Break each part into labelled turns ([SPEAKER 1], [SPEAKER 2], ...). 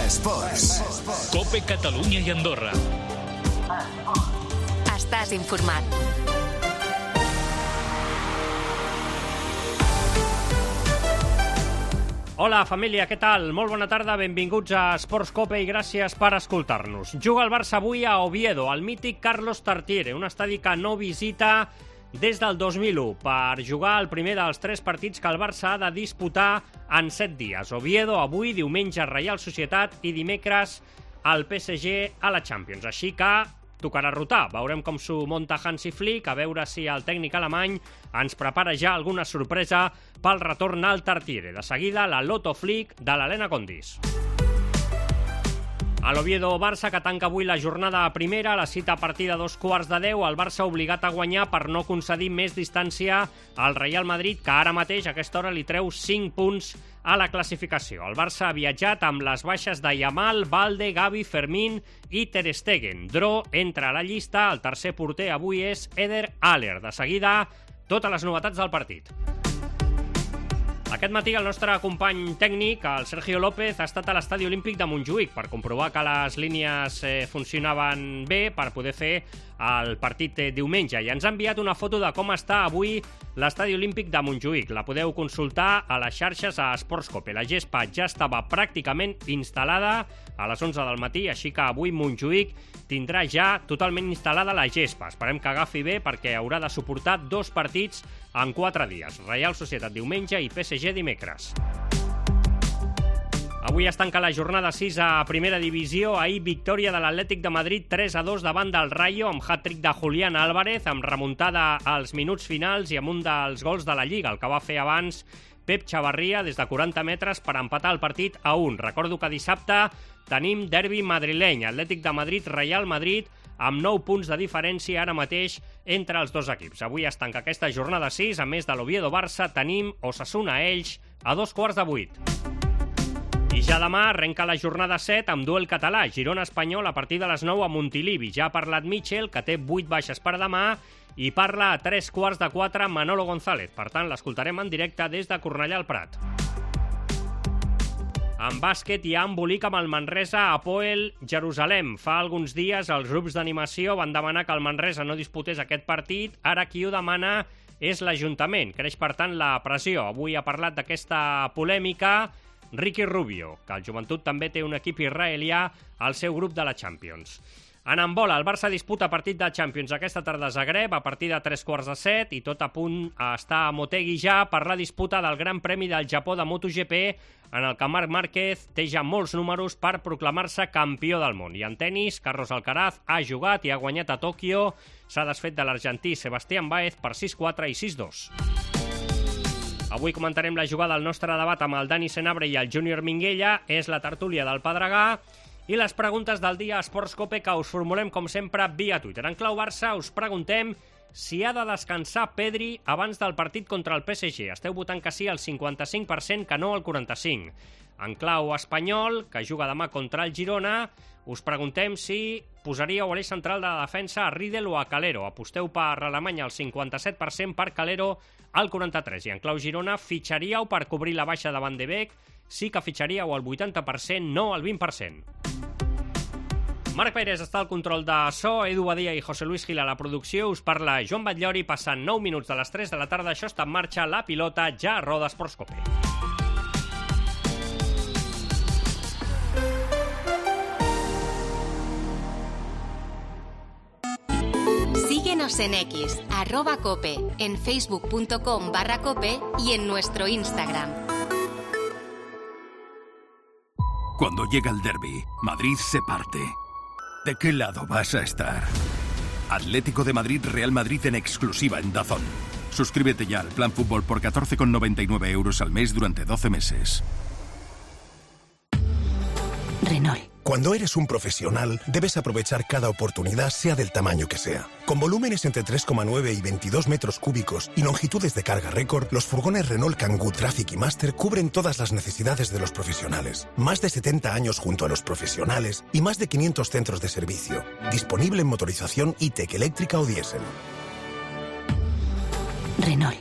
[SPEAKER 1] Esports.
[SPEAKER 2] COPE Catalunya i Andorra.
[SPEAKER 3] Estàs informat.
[SPEAKER 4] Hola, família, què tal? Molt bona tarda, benvinguts a Esports COPE i gràcies per escoltar-nos. Juga el Barça avui a Oviedo, al mític Carlos Tartiere, un estadi que no visita des del 2001 per jugar el primer dels 3 partits que el Barça ha de disputar en 7 dies. Oviedo avui, diumenge Reial Societat i dimecres el PSG a la Champions. Així que tocarà rotar. Veurem com s'ho munta Hansi Flick, a veure si el tècnic alemany ens prepara ja alguna sorpresa pel retorn al Tartiere. De seguida, la Loto Flick de l'Helena Condis. A l'Oviedo-Barça, que tanca avui la jornada primera, la cita a partir de 9:15, el Barça obligat a guanyar per no concedir més distància al Real Madrid, que ara mateix a aquesta hora li treu 5 punts a la classificació. El Barça ha viatjat amb les baixes de Yamal, Balde, Gavi, Fermín i Ter Stegen. Dro entra a la llista, el tercer porter avui és Eder Aller. De seguida, totes les novetats del partit. Aquest matí el nostre company tècnic, el Sergio López, ha estat a l'Estadi Olímpic de Montjuïc per comprovar que les línies funcionaven bé per poder fer el partit diumenge. I ens ha enviat una foto de com està avui l'Estadi Olímpic de Montjuïc. La podeu consultar a les xarxes a Esports COPE. La gespa ja estava pràcticament instal·lada a les 11 del matí, així que avui Montjuïc tindrà ja totalment instal·lada la gespa. Esperem que agafi bé perquè haurà de suportar 2 partits en 4 dies. Reial Societat diumenge i PSG dimecres. Avui es tanca la jornada 6 a Primera Divisió. Ahir victòria de l'Atlètic de Madrid 3-2 davant del Rayo amb hat-trick de Julián Álvarez, amb remuntada als minuts finals i amb un dels gols de la Lliga, el que va fer abans Pep Chavarria des de 40 metres per empatar el partit a 1. Recordo que dissabte tenim derbi madrileny, Atlètic de Madrid, Real Madrid, amb 9 punts de diferència ara mateix entre els dos equips. Avui es tanca aquesta jornada 6, a més de l'Oviedo-Barça tenim Osasuna-Elx a 7:15. I ja demà arrenca la jornada 7 amb duel català, Girona-Espanyol a partir de les 9 a Montilivi. Ja ha parlat Mitchell, que té 8 baixes per demà, i parla a 3:15 Manolo González. Per tant, l'escoltarem en directe des de Cornellà al Prat. En bàsquet hi ha embolic amb el Manresa Hapoel Jerusalem. Fa alguns dies els grups d'animació van demanar que el Manresa no disputés aquest partit. Ara qui ho demana és l'Ajuntament. Creix, per tant, la pressió. Avui ha parlat d'aquesta polèmica Ricky Rubio, que el Joventut també té un equip israelià al seu grup de la Champions. En handbol, el Barça disputa partit de Champions aquesta tarda a Zagreb a partir de 7:15 i tot a punt està a Motegi ja per la disputa del Gran Premi del Japó de MotoGP, en el que Marc Márquez té ja molts números per proclamar-se campió del món. I en tenis, Carlos Alcaraz ha jugat i ha guanyat a Tòquio. S'ha desfet de l'argentí Sebastián Báez per 6-4 i 6-2. Avui comentarem la jugada del nostre debat amb el Dani Senabre i el Júnior Minguella. És la tertúlia del Pedregà. I les preguntes del dia a Esports COPE que us formulem, com sempre, via Twitter. En clau Barça us preguntem si ha de descansar Pedri abans del partit contra el PSG. Esteu votant que sí al 55%, que no al 45%. En clau espanyol, que juga demà contra el Girona, us preguntem si posaríeu a l'eix central de la defensa a Riedel o a Calero. Aposteu per Alemanya al 57%, per Calero al 43%. I en clau Girona, fitxaríeu per cobrir la baixa de Van de Beek? Sí que fitxaríeu al 80%, no al 20%. Marc Pérez està al control de so, Edu Badia i José Luis Gil a la producció. Us parla Joan Batllori, passant 9 minuts de les 3 de la tarda. Això està en marxa, la pilota ja a Roda Esports COPE.
[SPEAKER 3] Síguenos en X, @cope, en facebook.com/cope y en nuestro Instagram.
[SPEAKER 1] Cuando llega el derbi, Madrid se parte. ¿De qué lado vas a estar? Atlético de Madrid, Real Madrid en exclusiva en DAZN. Suscríbete ya al plan fútbol por 14,99 € al mes durante 12 meses.
[SPEAKER 3] Renault.
[SPEAKER 5] Cuando eres un profesional, debes aprovechar cada oportunidad, sea del tamaño que sea. Con volúmenes entre 3,9 y 22 metros cúbicos y longitudes de carga récord, los furgones Renault Kangoo Traffic y Master cubren todas las necesidades de los profesionales. Más de 70 años junto a los profesionales y más de 500 centros de servicio. Disponible en motorización e-tech, eléctrica o diésel.
[SPEAKER 3] Renault.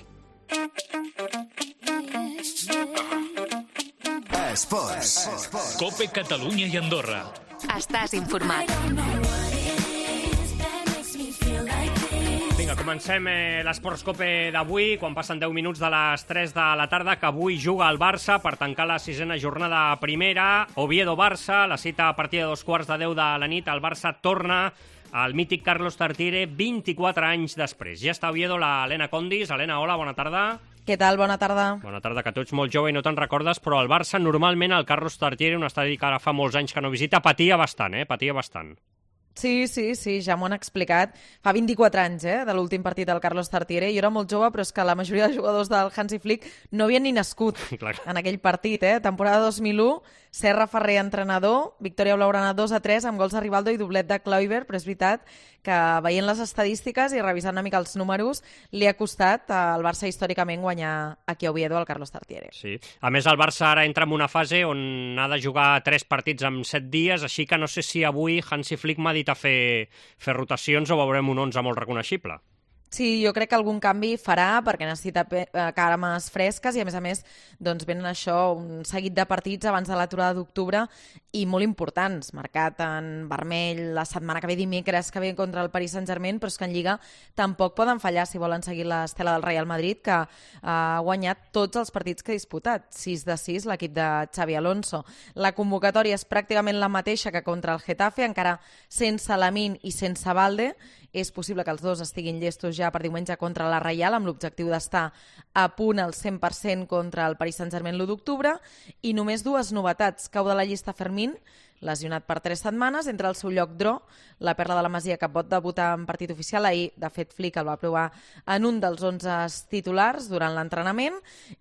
[SPEAKER 6] Esports.
[SPEAKER 2] COPE Catalunya i Andorra.
[SPEAKER 3] Estàs informat.
[SPEAKER 4] Vinga, comencem l'Esports Cope d'avui, quan passen 10 minuts de les 3 de la tarda, que avui juga el Barça per tancar la sisena jornada primera. Oviedo-Barça, la cita a partir de 2:15 de la nit. El Barça torna al mític Carlos Tartiere 24 anys després. Ja està a Oviedo l'Helena Condis. Helena, hola, bona tarda.
[SPEAKER 7] Què tal? Bona tarda.
[SPEAKER 4] Bona tarda, que tu ets molt jove i no te'n recordes, però el Barça normalment, el Carlos Tartiere, un estadi que ara fa molts anys que no visita, patia bastant, patia bastant.
[SPEAKER 7] Sí, ja m'ho han explicat. Fa 24 anys, de l'últim partit del Carlos Tartiere. Jo era molt jove, però és que la majoria de jugadors del Hansi Flick no havien ni nascut en aquell partit. Temporada 2001, Serra Ferrer, entrenador, victòria blaugrana 2-3, amb gols de Rivaldo i doblet de Kluivert, però és veritat que veient les estadístiques i revisant una mica els números, li ha costat al Barça històricament guanyar aquí a Oviedo el Carlos Tartiere.
[SPEAKER 4] Sí. A més, el Barça ara entra en una fase on ha de jugar 3 partits en 7 dies, així que no sé si avui Hansi Flick m'ha dit a fer rotacions o veurem un 11 molt reconeixible.
[SPEAKER 7] Sí, jo crec que algun canvi farà perquè necessita cames fresques i, a més, doncs venen això, un seguit de partits abans de l'aturada d'octubre i molt importants, marcat en vermell la setmana que ve, dimecres que ve contra el Paris Saint-Germain, però és que en Lliga tampoc poden fallar si volen seguir l'estela del Real Madrid, que ha guanyat tots els partits que ha disputat, 6-6 l'equip de Xavi Alonso. La convocatòria és pràcticament la mateixa que contra el Getafe, encara sense Lamine i sense Balde. És possible que els dos estiguin llestos ja per diumenge contra la Reial, amb l'objectiu d'estar a punt al 100% contra el Paris Saint-Germain l'1 d'octubre. I només 2 novetats. Cau de la llista Fermín, lesionat per 3 setmanes, entre el seu lloc Dro, la perla de la Masia, que pot debutar en partit oficial. Ahir, de fet, Flick el va provar en un dels 11 titulars durant l'entrenament,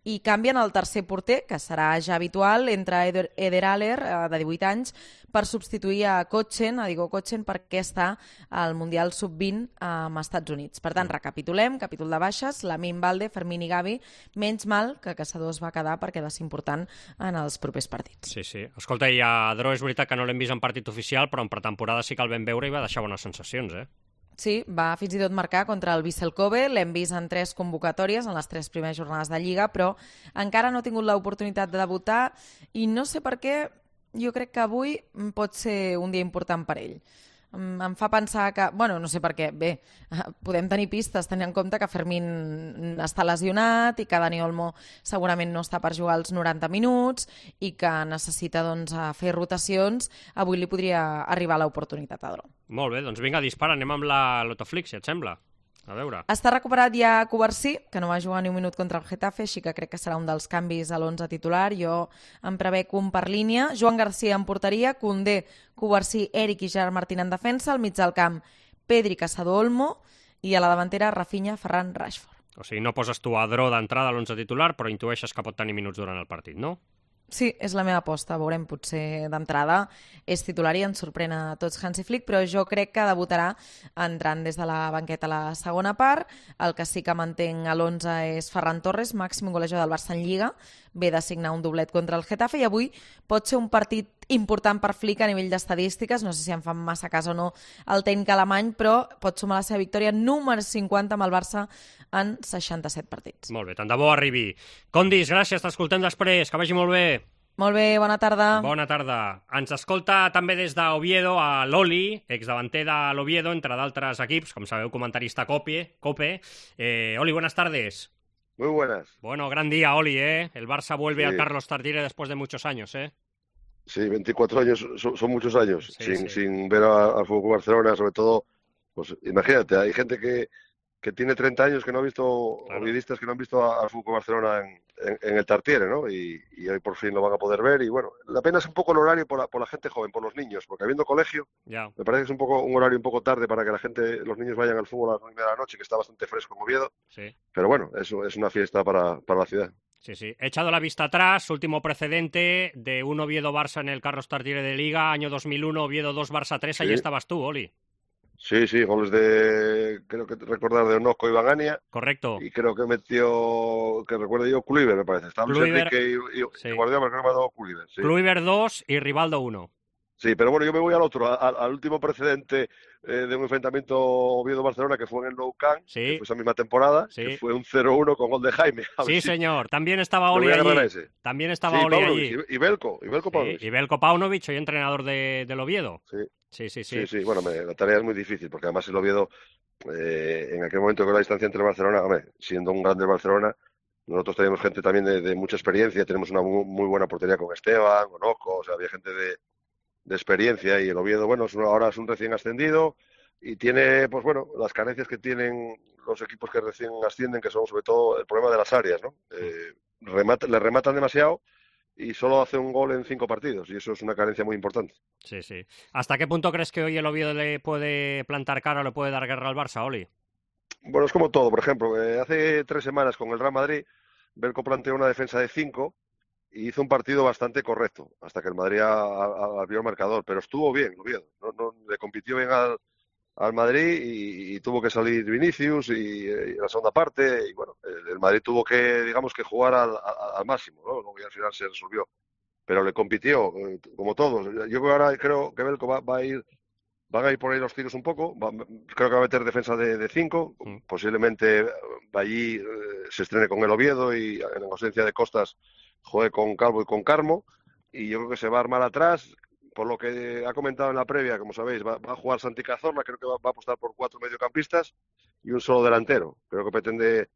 [SPEAKER 7] i canvien el tercer porter, que serà ja habitual, entre Eder Aller, de 18 anys, per substituir a Diego Kochen, perquè està al Mundial Sub-20 als Estats Units. Per tant, recapitulem, capítol de baixes, Lamine, Balde, Fermín i Gavi. Menys mal que Caçador es va quedar perquè ha de ser important en els propers partits.
[SPEAKER 4] Sí. Escolta, i a Dro és veritat que no l'hem vist en partit oficial, però en pretemporada sí que el vam veure i va deixar bones sensacions,
[SPEAKER 7] Sí, va fins i tot marcar contra el Vissel Kobe, l'hem vist en 3 convocatòries en les 3 primeres jornades de Lliga, però encara no ha tingut l'oportunitat de debutar i no sé per què, jo crec que avui pot ser un dia important per ell. Em fa pensar que, no sé per què, bé, podem tenir pistes tenint en compte que Fermín està lesionat i que Dani Olmo segurament no està per jugar els 90 minuts i que necessita fer rotacions. Avui li podria arribar l'oportunitat a Dro.
[SPEAKER 4] Molt bé, doncs vinga, dispara, anem amb la Lotoflix, si et sembla. A veure.
[SPEAKER 7] Està recuperat ja Covarsí, que no va jugar ni un minut contra el Getafe, així que crec que serà un dels canvis a l'11 titular. Jo em prevec un per línia. Joan García en porteria, Koundé, Covarsí, Eric i Gerard Martín en defensa, al mig del camp Pedri, Caçador, Olmo, i a la davantera Rafinha, Ferran, Rashford.
[SPEAKER 4] O sigui, no poses tu a Dro d'entrada a l'11 titular, però intueixes que pot tenir minuts durant el partit, no?
[SPEAKER 7] Sí, és la meva aposta. Veurem, potser d'entrada és titular i ens sorprèn a tots Hansi Flick, però jo crec que debutarà entrant des de la banqueta a la segona part. El que sí que mantenc a l'11 és Ferran Torres, màxim golejador del Barça en Lliga. Ve de signar un doblet contra el Getafe i avui pot ser un partit important per Flick a nivell d'estadístiques. No sé si en fan massa cas o no el tècnic alemany, però pot sumar la seva victòria número 50 amb el Barça en 67 partits.
[SPEAKER 4] Molt bé, tant de bo arribi. Condis, gràcies, t'escoltem després, que vagi molt bé.
[SPEAKER 7] Molt bé, bona tarda.
[SPEAKER 4] Bona tarda. Ens escolta també des d'Oviedo a l'Oli, exdavanter de l'Oviedo, entre d'altres equips, com sabeu, comentarista COPE. Oli, buenas tardes.
[SPEAKER 8] Muy buenas.
[SPEAKER 4] Bueno, gran día, Oli, El Barça vuelve al Carlos Tartiere después de muchos años,
[SPEAKER 8] Sí, 24 años son muchos años,
[SPEAKER 4] sí.
[SPEAKER 8] sin ver al Fútbol Barcelona, sobre todo, pues imagínate, hay gente que tiene 30 años que no ha visto, claro, ovidistas que no han visto al Fútbol Barcelona en el Tartiere, ¿no? Y hoy por fin lo van a poder ver. Y bueno, la pena es un poco el horario por la gente joven, por los niños, porque habiendo colegio, me parece que es un horario un poco tarde para que los niños vayan al fútbol a las 9 de la noche, que está bastante fresco en Oviedo.
[SPEAKER 4] Sí.
[SPEAKER 8] Pero bueno, eso es una fiesta para la ciudad.
[SPEAKER 4] Sí. He echado la vista atrás, último precedente de un Oviedo-Barça en el Carlos Tartiere de Liga, año 2001, Oviedo 2, Barça 3, ahí estabas tú, Oli.
[SPEAKER 8] Sí, goles creo que recordar de Onoco y Bagania.
[SPEAKER 4] Correcto.
[SPEAKER 8] Y creo que metió, que recuerdo yo, Kluivert, me parece. Estábamos Enrique y Guardiola, pero creo que me ha dado Kluivert. Sí.
[SPEAKER 4] Kluivert 2 y Rivaldo 1.
[SPEAKER 8] Sí, pero bueno, yo me voy al otro, al último precedente de un enfrentamiento Oviedo-Barcelona que fue en el Nou Camp, que
[SPEAKER 4] Sí,
[SPEAKER 8] fue esa misma temporada, que
[SPEAKER 4] sí.
[SPEAKER 8] fue un 0-1 con gol de Jaime. A ver
[SPEAKER 4] Sí,
[SPEAKER 8] si
[SPEAKER 4] señor. También estaba
[SPEAKER 8] me
[SPEAKER 4] Oli
[SPEAKER 8] voy a agarrar a
[SPEAKER 4] allí.
[SPEAKER 8] ese.
[SPEAKER 4] También estaba
[SPEAKER 8] Sí,
[SPEAKER 4] Oli
[SPEAKER 8] Paunovic
[SPEAKER 4] allí.
[SPEAKER 8] y Belko
[SPEAKER 4] Sí, y
[SPEAKER 8] Paunovic.
[SPEAKER 4] Belko Paunovic, hoy entrenador del Oviedo.
[SPEAKER 8] Sí,
[SPEAKER 4] Sí, sí,
[SPEAKER 8] sí,
[SPEAKER 4] sí.
[SPEAKER 8] sí. Bueno, la tarea es muy difícil, porque además el Oviedo, en aquel momento con la distancia entre el Barcelona, hombre, siendo un grande Barcelona, nosotros teníamos gente también de mucha experiencia, tenemos una muy buena portería con Esteban, con Oco, o sea, había gente de experiencia, y el Oviedo, bueno, ahora es un recién ascendido y tiene, pues bueno, las carencias que tienen los equipos que recién ascienden, que son sobre todo el problema de las áreas, ¿no? Le rematan demasiado y solo hace un gol en 5 partidos, y eso es una carencia muy importante.
[SPEAKER 4] Sí, sí. ¿Hasta qué punto crees que hoy el Oviedo le puede plantar cara o le puede dar guerra al Barça, Oli?
[SPEAKER 8] Bueno, es como todo, por ejemplo, hace 3 semanas con el Real Madrid, Belko planteó una defensa de 5 y hizo un partido bastante correcto, hasta que el Madrid abrió el marcador, pero estuvo bien, Oviedo, no, le compitió bien al Madrid y tuvo que salir Vinicius y la segunda parte, y bueno, el Madrid tuvo que, digamos, que jugar al máximo, ¿no? Luego ya al final se resolvió, pero le compitió, como todos. Yo creo que ahora creo que Belko van a ir por ahí los tiros un poco, creo que va a meter defensa de 5, posiblemente allí se estrene con el Oviedo y en ausencia de Costas juegue con Calvo y con Carmo, y yo creo que se va a armar atrás. Por lo que ha comentado en la previa, como sabéis, va a jugar Santi Cazorla, creo que va a apostar por 4 mediocampistas y un solo delantero. Creo que pretende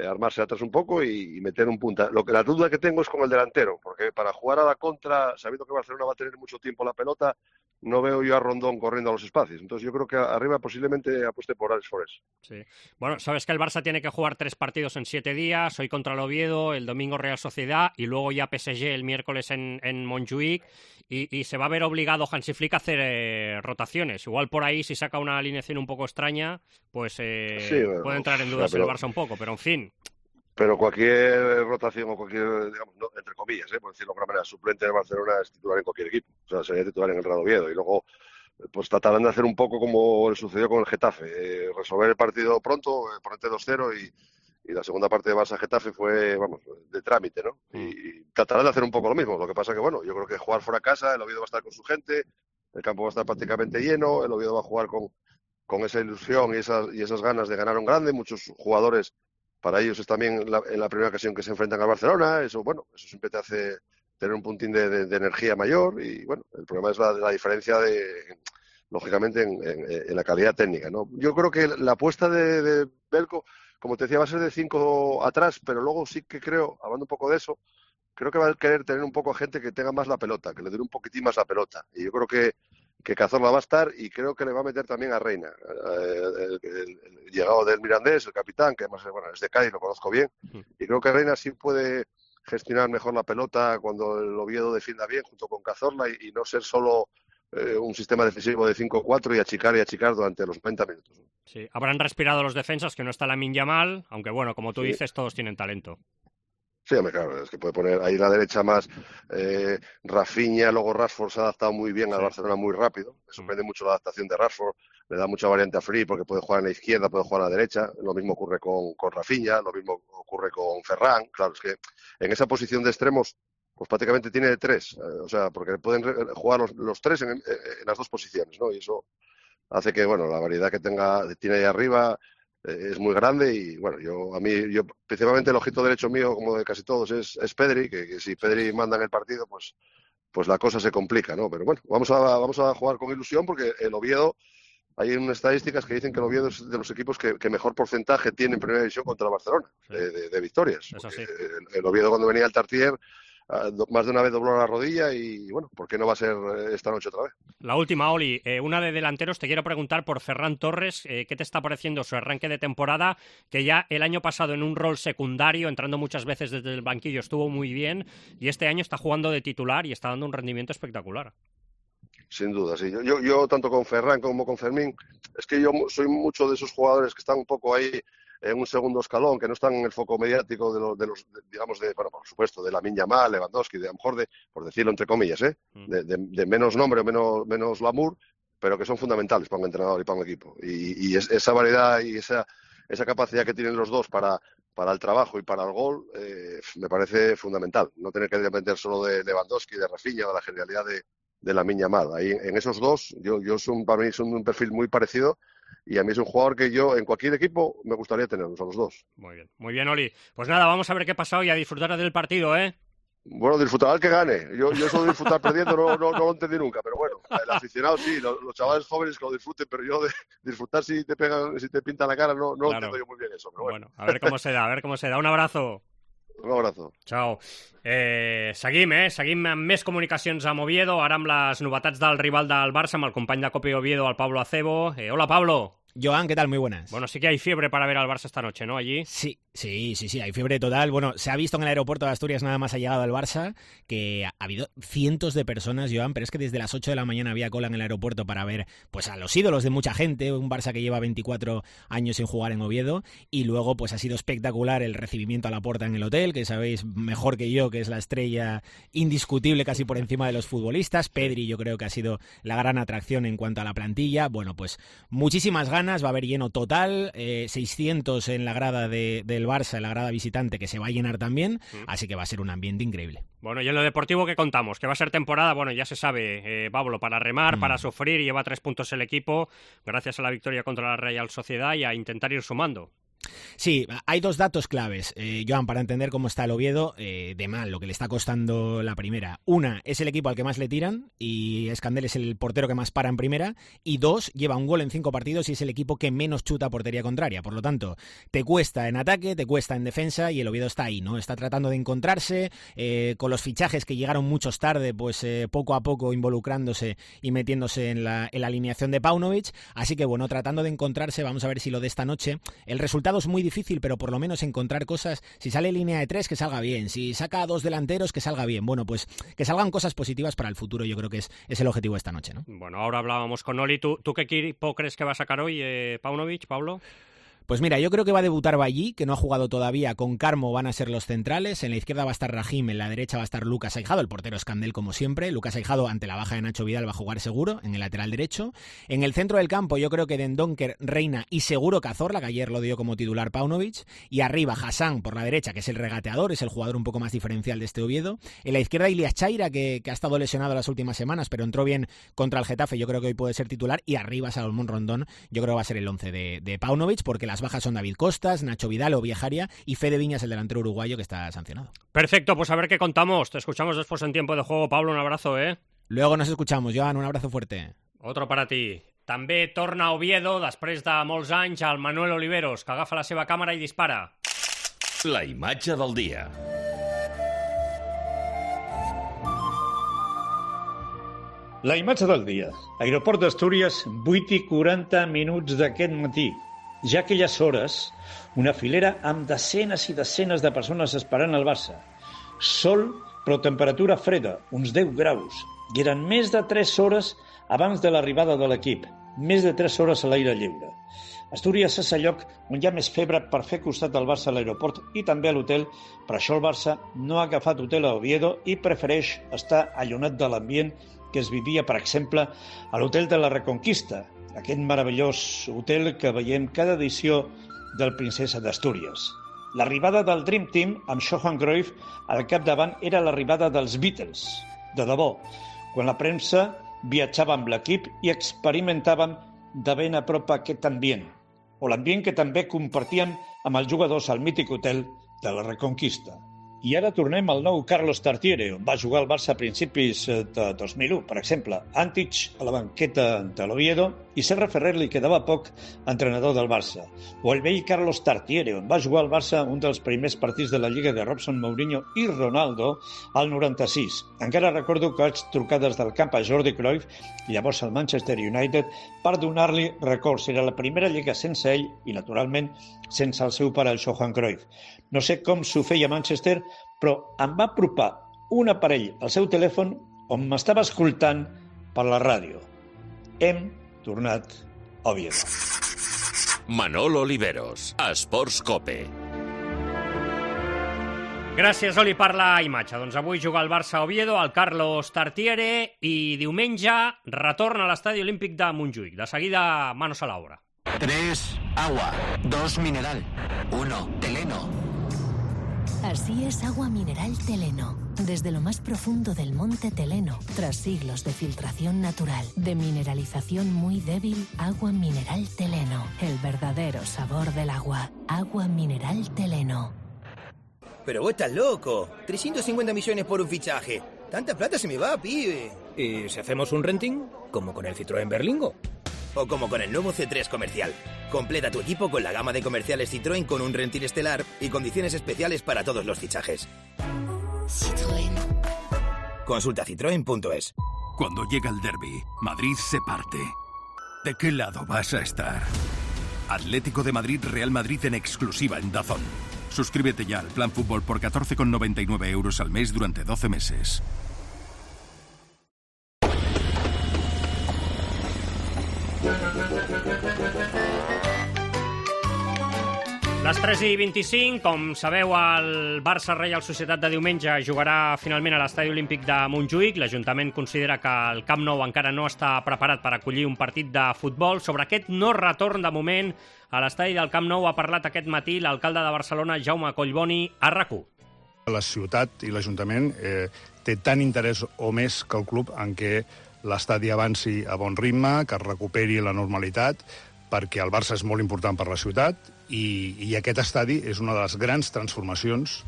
[SPEAKER 8] armarse atrás un poco y meter un punta. La duda que tengo es con el delantero, porque para jugar a la contra, sabiendo que Barcelona va a tener mucho tiempo la pelota, no veo yo a Rondón corriendo a los espacios. Entonces yo creo que arriba posiblemente apueste por Alex Forés.
[SPEAKER 4] Sí. Bueno, sabes que el Barça tiene que jugar 3 partidos en 7 días, hoy contra el Oviedo, el domingo Real Sociedad y luego ya PSG el miércoles en Montjuic, y se va a ver obligado Hansi Flick a hacer rotaciones. Igual por ahí, si saca una alineación un poco extraña, pues
[SPEAKER 8] sí, bueno,
[SPEAKER 4] puede entrar en dudas el Barça un poco, pero en fin.
[SPEAKER 8] Pero cualquier rotación o cualquier, digamos, no, entre comillas, por decirlo de alguna manera, suplente de Barcelona es titular en cualquier equipo. O sea, sería titular en el Real Oviedo. Y luego, pues tratarán de hacer un poco como le sucedió con el Getafe. Resolver el partido pronto, ponerte 2-0 y la segunda parte de Barça-Getafe fue, vamos, de trámite, ¿no? Y tratarán de hacer un poco lo mismo. Lo que pasa que, bueno, yo creo que jugar fuera de casa, el Oviedo va a estar con su gente, el campo va a estar prácticamente lleno, el Oviedo va a jugar con esa ilusión y esas ganas de ganar un grande. Muchos jugadores, para ellos es también en la primera ocasión que se enfrentan al Barcelona. Eso, bueno, eso siempre te hace tener un puntín de energía mayor. Y bueno, el problema es la diferencia lógicamente, en la calidad técnica, ¿no? Yo creo que la apuesta de Belko, como te decía, va a ser de 5 atrás, pero luego sí que creo, hablando un poco de eso, creo que va a querer tener un poco a gente que tenga más la pelota, que le dé un poquitín más la pelota. Y yo creo que Cazorla va a estar, y creo que le va a meter también a Reina, el llegado del Mirandés, el capitán, que además, bueno, es de Cádiz, lo conozco bien, y creo que Reina sí puede gestionar mejor la pelota cuando el Oviedo defienda bien junto con Cazorla y no ser solo un sistema defensivo de 5-4 y achicar durante los 90 minutos.
[SPEAKER 4] Sí, habrán respirado los defensas, que no está Lamine Yamal, aunque bueno, como tú dices, todos tienen talento.
[SPEAKER 8] Sí, hombre, claro, es que puede poner ahí la derecha más Rafinha, luego Rashford se ha adaptado muy bien al Barcelona muy rápido. Me sorprende mucho la adaptación de Rashford, le da mucha variante a Free porque puede jugar en la izquierda, puede jugar a la derecha. Lo mismo ocurre con Rafinha, lo mismo ocurre con Ferran. Claro, es que en esa posición de extremos, pues prácticamente tiene 3, o sea, porque pueden jugar los 3 en las 2 posiciones, ¿no? Y eso hace que, bueno, la variedad que tiene ahí arriba es muy grande. Y bueno, yo principalmente el ojito derecho mío, como de casi todos, es Pedri, que si Pedri manda en el partido, pues la cosa se complica, ¿no? Pero bueno, vamos a jugar con ilusión, porque el Oviedo, hay unas estadísticas que dicen que el Oviedo es de los equipos que mejor porcentaje tiene en primera división contra el Barcelona, de victorias. El Oviedo, cuando venía al Tartier, más de una vez dobló la rodilla, y bueno, ¿por qué no va a ser esta noche otra vez?
[SPEAKER 4] La última, Oli, una de delanteros. Te quiero preguntar por Ferran Torres. ¿Qué te está pareciendo su arranque de temporada? Que ya el año pasado, en un rol secundario, entrando muchas veces desde el banquillo, estuvo muy bien, y este año está jugando de titular y está dando un rendimiento espectacular.
[SPEAKER 8] Sin duda, sí. Yo tanto con Ferran como con Fermín, es que yo soy mucho de esos jugadores que están un poco ahí en un segundo escalón, que no están en el foco mediático digamos, bueno, por supuesto, de Lamine Yamal, Lewandowski, de a lo mejor por decirlo entre comillas, de menos nombre o menos glamour, pero que son fundamentales para un entrenador y para un equipo. Y esa variedad y esa capacidad que tienen los dos para el trabajo y para el gol, me parece fundamental. No tener que depender solo de Lewandowski, de Rafinha, de la genialidad de de Lamine Yamal. Ahí, en esos dos, para mí son un perfil muy parecido y a mí es un jugador que yo en cualquier equipo me gustaría tenerlos a los dos.
[SPEAKER 4] Muy bien, Oli. Pues nada, vamos a ver qué ha pasado y a disfrutar del partido, ¿eh?
[SPEAKER 8] Bueno, disfrutar al que gane. Yo eso de disfrutar perdiendo no lo entendí nunca, pero bueno, el aficionado sí, los chavales jóvenes que lo disfruten, pero yo de disfrutar si te pintan la cara no
[SPEAKER 4] claro.
[SPEAKER 8] entiendo yo muy bien eso. Pero bueno,
[SPEAKER 4] a ver cómo se da, Un abrazo.
[SPEAKER 8] Un abrazo.
[SPEAKER 4] Ciao. Seguim amb més comunicacions amb Oviedo, ara amb les novetats del rival del Barça, amb el company de Cope Oviedo, el Pablo Acebo. Hola, Pablo.
[SPEAKER 6] Joan, ¿qué tal? Muy buenas.
[SPEAKER 4] Bueno, sí que hay fiebre para ver al Barça esta noche, ¿no? Allí.
[SPEAKER 6] Sí, hay fiebre total. Bueno, se ha visto en el aeropuerto de Asturias nada más ha llegado el Barça que ha habido cientos de personas, Joan, pero es que desde las 8 de la mañana había cola en el aeropuerto para ver pues a los ídolos de mucha gente, un Barça que lleva 24 años sin jugar en Oviedo, y luego pues ha sido espectacular el recibimiento a la puerta en el hotel, que sabéis mejor que yo que es la estrella indiscutible casi por encima de los futbolistas. Pedri yo creo que ha sido la gran atracción en cuanto a la plantilla. Bueno, pues muchísimas ganas, va a haber lleno total, 600 en la grada del Barça, en la grada visitante, que se va a llenar también, así que va a ser un ambiente increíble.
[SPEAKER 4] Bueno, y en lo deportivo, ¿qué contamos? Que va a ser temporada, bueno, ya se sabe, Pablo, para remar, para sufrir, y lleva 3 puntos el equipo, gracias a la victoria contra la Real Sociedad, y a intentar ir sumando.
[SPEAKER 6] Sí, hay 2 datos claves, Joan, para entender cómo está el Oviedo de mal, lo que le está costando la primera. Una, es el equipo al que más le tiran y Escandel es el portero que más para en primera. Y 2, lleva un gol en 5 partidos y es el equipo que menos chuta a portería contraria. Por lo tanto, te cuesta en ataque, te cuesta en defensa y el Oviedo está ahí, ¿no? Está tratando de encontrarse con los fichajes que llegaron muchos tarde, pues poco a poco involucrándose y metiéndose en la alineación de Paunovic. Así que bueno, tratando de encontrarse, vamos a ver si lo de esta noche, el resultado es muy difícil, pero por lo menos encontrar cosas. Si sale línea de 3, que salga bien. Si saca a 2 delanteros, que salga bien. Bueno, pues que salgan cosas positivas para el futuro. Yo creo que es el objetivo de esta noche, ¿no?
[SPEAKER 4] Bueno, ahora hablábamos con Oli. ¿Tú qué equipo crees que va a sacar hoy, Paunovic, Pablo?
[SPEAKER 6] Pues mira, yo creo que va a debutar Ballí, que no ha jugado todavía. Con Carmo van a ser los centrales. En la izquierda va a estar Rahim, en la derecha va a estar Lucas Aijado, el portero Escandel como siempre. Lucas Aijado, ante la baja de Nacho Vidal, va a jugar seguro en el lateral derecho. En el centro del campo yo creo que Dendoncker, Reina y seguro Cazorla, que ayer lo dio como titular Paunovic. Y arriba Hassan por la derecha, que es el regateador, es el jugador un poco más diferencial de este Oviedo. En la izquierda Ilias Chaira, que ha estado lesionado las últimas semanas, pero entró bien contra el Getafe. Yo creo que hoy puede ser titular. Y arriba Salomón Rondón, yo creo que va a ser el 11 de Paunovic, porque las bajas son David Costa, Nacho Vidal o Viejaria y Fede Viñas, el delantero uruguayo que está sancionado.
[SPEAKER 4] Perfecto, pues a ver qué contamos. Te escuchamos después en tiempo de juego. Pablo, un abrazo, ¿eh?
[SPEAKER 6] Luego nos escuchamos, Joan, un abrazo fuerte.
[SPEAKER 4] Otro para ti. També torna a Oviedo, després de molts anys, el Manuel Oliveros, que agafa la seva càmera i dispara.
[SPEAKER 9] La imatge del dia.
[SPEAKER 2] La imatge del dia. Aeroport d'Astúries, 8:40 d'aquest matí. Ja a aquelles hores, una filera amb desenes i desenes de persones esperant el Barça. Sol, però temperatura freda, uns 10 graus. I eren més de 3 hores abans de l'arribada de l'equip. Més de 3 hores a l'aire lliure. Astúries és el lloc on hi ha més febre per fer costat al Barça a l'aeroport i també a l'hotel. Per això el Barça no ha agafat hotel a Oviedo i prefereix estar allunat de l'ambient que es vivia, per exemple, a l'hotel de la Reconquista, aquest meravellós hotel que veiem cada edició del Princesa d'Astúries. L'arribada del Dream Team amb Johan Cruyff al capdavant era l'arribada dels Beatles, de debò, quan la premsa viatjava amb l'equip i experimentàvem de ben a prop aquest ambient, o l'ambient que també compartíem amb els jugadors al mític hotel de la Reconquista. I ara tornem al nou Carlos Tartiere, on va jugar el Barça a principis de 2001, per exemple. Antich a la banqueta de l'Oviedo i Serra Ferrer li quedava poc entrenador del Barça. O el vell Carlos Tartiere, on va jugar el Barça un dels primers partits de la Lliga de Robson, Mourinho i Ronaldo al 96. Encara recordo que vaig trucar des del camp a Jordi Cruyff, llavors al Manchester United, per donar-li records. Era la primera lliga sense ell i, naturalment, sense el seu pare, el Johan Cruyff. No sé com s'ho feia a Manchester, però em va apropar un aparell al seu telèfon on m'estava escoltant per la ràdio. Hem tornat a Oviedo.
[SPEAKER 9] Manolo Oliveros, Esports Cope.
[SPEAKER 4] Gràcies, Oli, per la imatge. Doncs avui juga el Barça a Oviedo, el Carlos Tartiere, i diumenge retorna a l'Estadi Olímpic de Montjuïc. De seguida, manos a l'obra.
[SPEAKER 10] 3, agua. 2, mineral. 1, Teleno.
[SPEAKER 3] Así es agua mineral Teleno. Desde lo más profundo del monte Teleno, tras siglos de filtración natural, de mineralización muy débil, agua mineral Teleno. El verdadero sabor del agua. Agua mineral Teleno.
[SPEAKER 10] Pero vos estás loco. 350 millones por un fichaje. Tanta plata se me va, pibe.
[SPEAKER 11] ¿Y si hacemos un renting? Como con el Citroën Berlingo.
[SPEAKER 10] O como con el nuevo C3 Comercial. Completa tu equipo con la gama de comerciales Citroën con un renting estelar y condiciones especiales para todos los fichajes.
[SPEAKER 3] Citroën.
[SPEAKER 10] Consulta citroen.es.
[SPEAKER 1] Cuando llega el derbi, Madrid se parte. ¿De qué lado vas a estar? Atlético de Madrid, Real Madrid en exclusiva en DAZN. Suscríbete ya al Plan Fútbol por 14,99 € al mes durante 12 meses.
[SPEAKER 4] Les 3:25, com sabeu, el Barça-Reial Societat de diumenge jugarà finalment a l'Estadi Olímpic de Montjuïc. L'Ajuntament considera que el Camp Nou encara no està preparat per acollir un partit de futbol. Sobre aquest no retorn de moment a l'estadi del Camp Nou ha parlat aquest matí l'alcalde de Barcelona, Jaume Collboni, a RAC1.
[SPEAKER 12] La ciutat i l'Ajuntament té tant interès o més que el club en què l'estadi avanci a bon ritme, que es recuperi la normalitat, perquè el Barça és molt important per la ciutat i aquest estadi és una de les grans transformacions,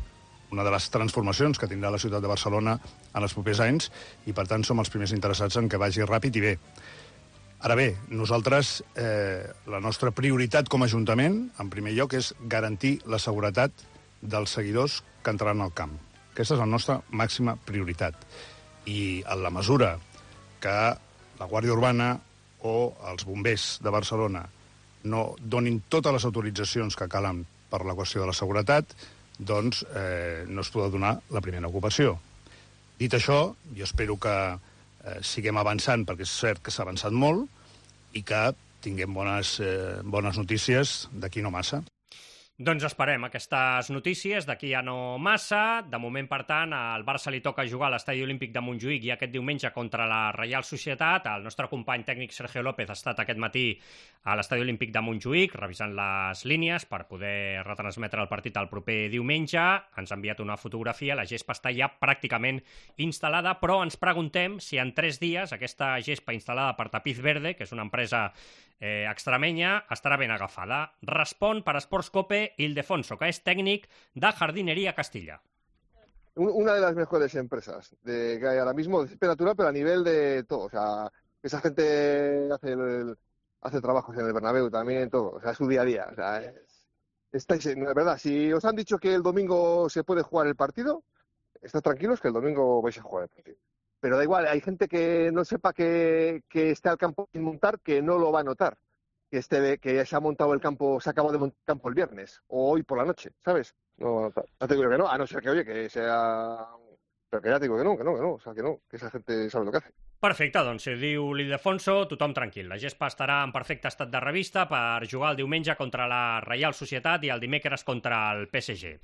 [SPEAKER 12] que tindrà la ciutat de Barcelona en els propers anys i, per tant, som els primers interessats en que vagi ràpid i bé. Ara bé, nosaltres, la nostra prioritat com a Ajuntament, en primer lloc, és garantir la seguretat dels seguidors que entraran al camp. Aquesta és la nostra màxima prioritat. I en la mesura que la Guàrdia Urbana o els bombers de Barcelona no donin totes les autoritzacions que calen per la qüestió de la seguretat, doncs no es podrà donar la primera ocupació. Dit això, jo espero que siguem avançant, perquè és cert que s'ha avançat molt, i que tinguem bones notícies d'aquí no massa.
[SPEAKER 4] Doncs esperem aquestes notícies d'aquí a no massa. De moment, per tant, al Barça li toca jugar a l'Estadi Olímpic de Montjuïc i aquest diumenge contra la Reial Societat. El nostre company tècnic Sergio López ha estat aquest matí a l'Estadi Olímpic de Montjuïc revisant les línies per poder retransmetre el partit el proper diumenge. Ens ha enviat una fotografia, la gespa està ja pràcticament instal·lada, però ens preguntem si en 3 dies aquesta gespa instal·lada per Tapiz Verde, que és una empresa extremenya, estarà ben agafada. Respon per Sports Cope Ildefonso, que es técnico de Jardinería Castilla.
[SPEAKER 13] Una de las mejores empresas que hay ahora mismo de césped natural, pero a nivel de todo. O sea, esa gente hace trabajos en el Bernabéu también, todo. O sea, es su día a día. O sea, de verdad, si os han dicho que el domingo se puede jugar el partido, estad tranquilos que el domingo vais a jugar el partido. Pero da igual, hay gente que no sepa que esté al campo sin montar, que no lo va a notar. Que se ha montado el campo, se acabó de montar el campo el viernes o hoy por la noche, ¿sabes? No te digo que no, a no ser que, oye, que sea... Pero que ya te digo que no, o sea, que esa gente sabe lo que hace.
[SPEAKER 4] Perfecte, doncs si diu l'Ildefonso, tothom tranquil. La gespa estarà en perfecte estat de revista per jugar el diumenge contra la Reial Societat i el dimecres contra el PSG.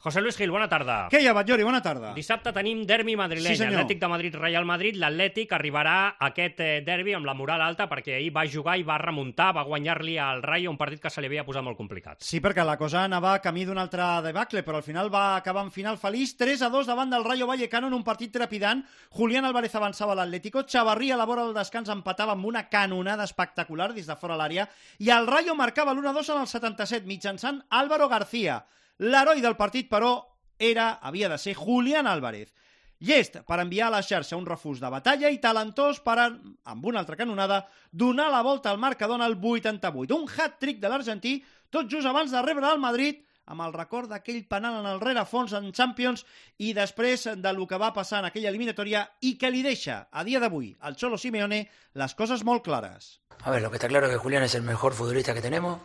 [SPEAKER 4] José Luis Gil, bona tarda.
[SPEAKER 14] Què hi ha, Batllori? Bona tarda.
[SPEAKER 4] Dissabte tenim derbi madrileny, sí, Atlètic de Madrid, Real Madrid. L'Atlètic arribarà a aquest derbi amb la moral alta perquè ahir va jugar i va remuntar, va guanyar-li al Rayo, un partit que se li havia posat molt complicat.
[SPEAKER 14] Sí, perquè la cosa anava camí d'un altre debacle, però al final va acabar en final feliç, 3-2 davant del Rayo Vallecano en un partit trepidant. Julián Álvarez avançava a l'Atlético, Chavarrí a la vora del descans empatava amb una canonada espectacular des de fora l'àrea i el Rayo marcava l'1-2 en el 77 mitjançant Álvaro García. L'heroi del partit, però, havia de ser Julián Álvarez. Llest per enviar a la xarxa un refús de batalla i talentós per, amb una altra canonada, donar la volta al marcador al 88. Un hat-trick de l'argentí, tot just abans de rebre el Madrid, amb el record d'aquell penal en el rerefons en Champions i després de lo que va passar en aquella eliminatòria i que li deixa, a dia d'avui, al Cholo Simeone, les coses molt clares.
[SPEAKER 15] A ver, lo que está claro es que Julián es el mejor futbolista que tenemos.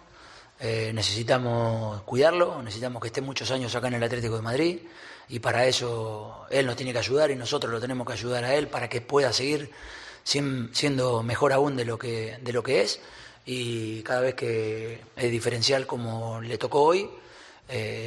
[SPEAKER 15] Necesitamos cuidarlo, necesitamos que esté muchos años acá en el Atlético de Madrid y para eso él nos tiene que ayudar y nosotros lo tenemos que ayudar a él para que pueda seguir siendo mejor aún de lo que es y cada vez que es diferencial como le tocó hoy,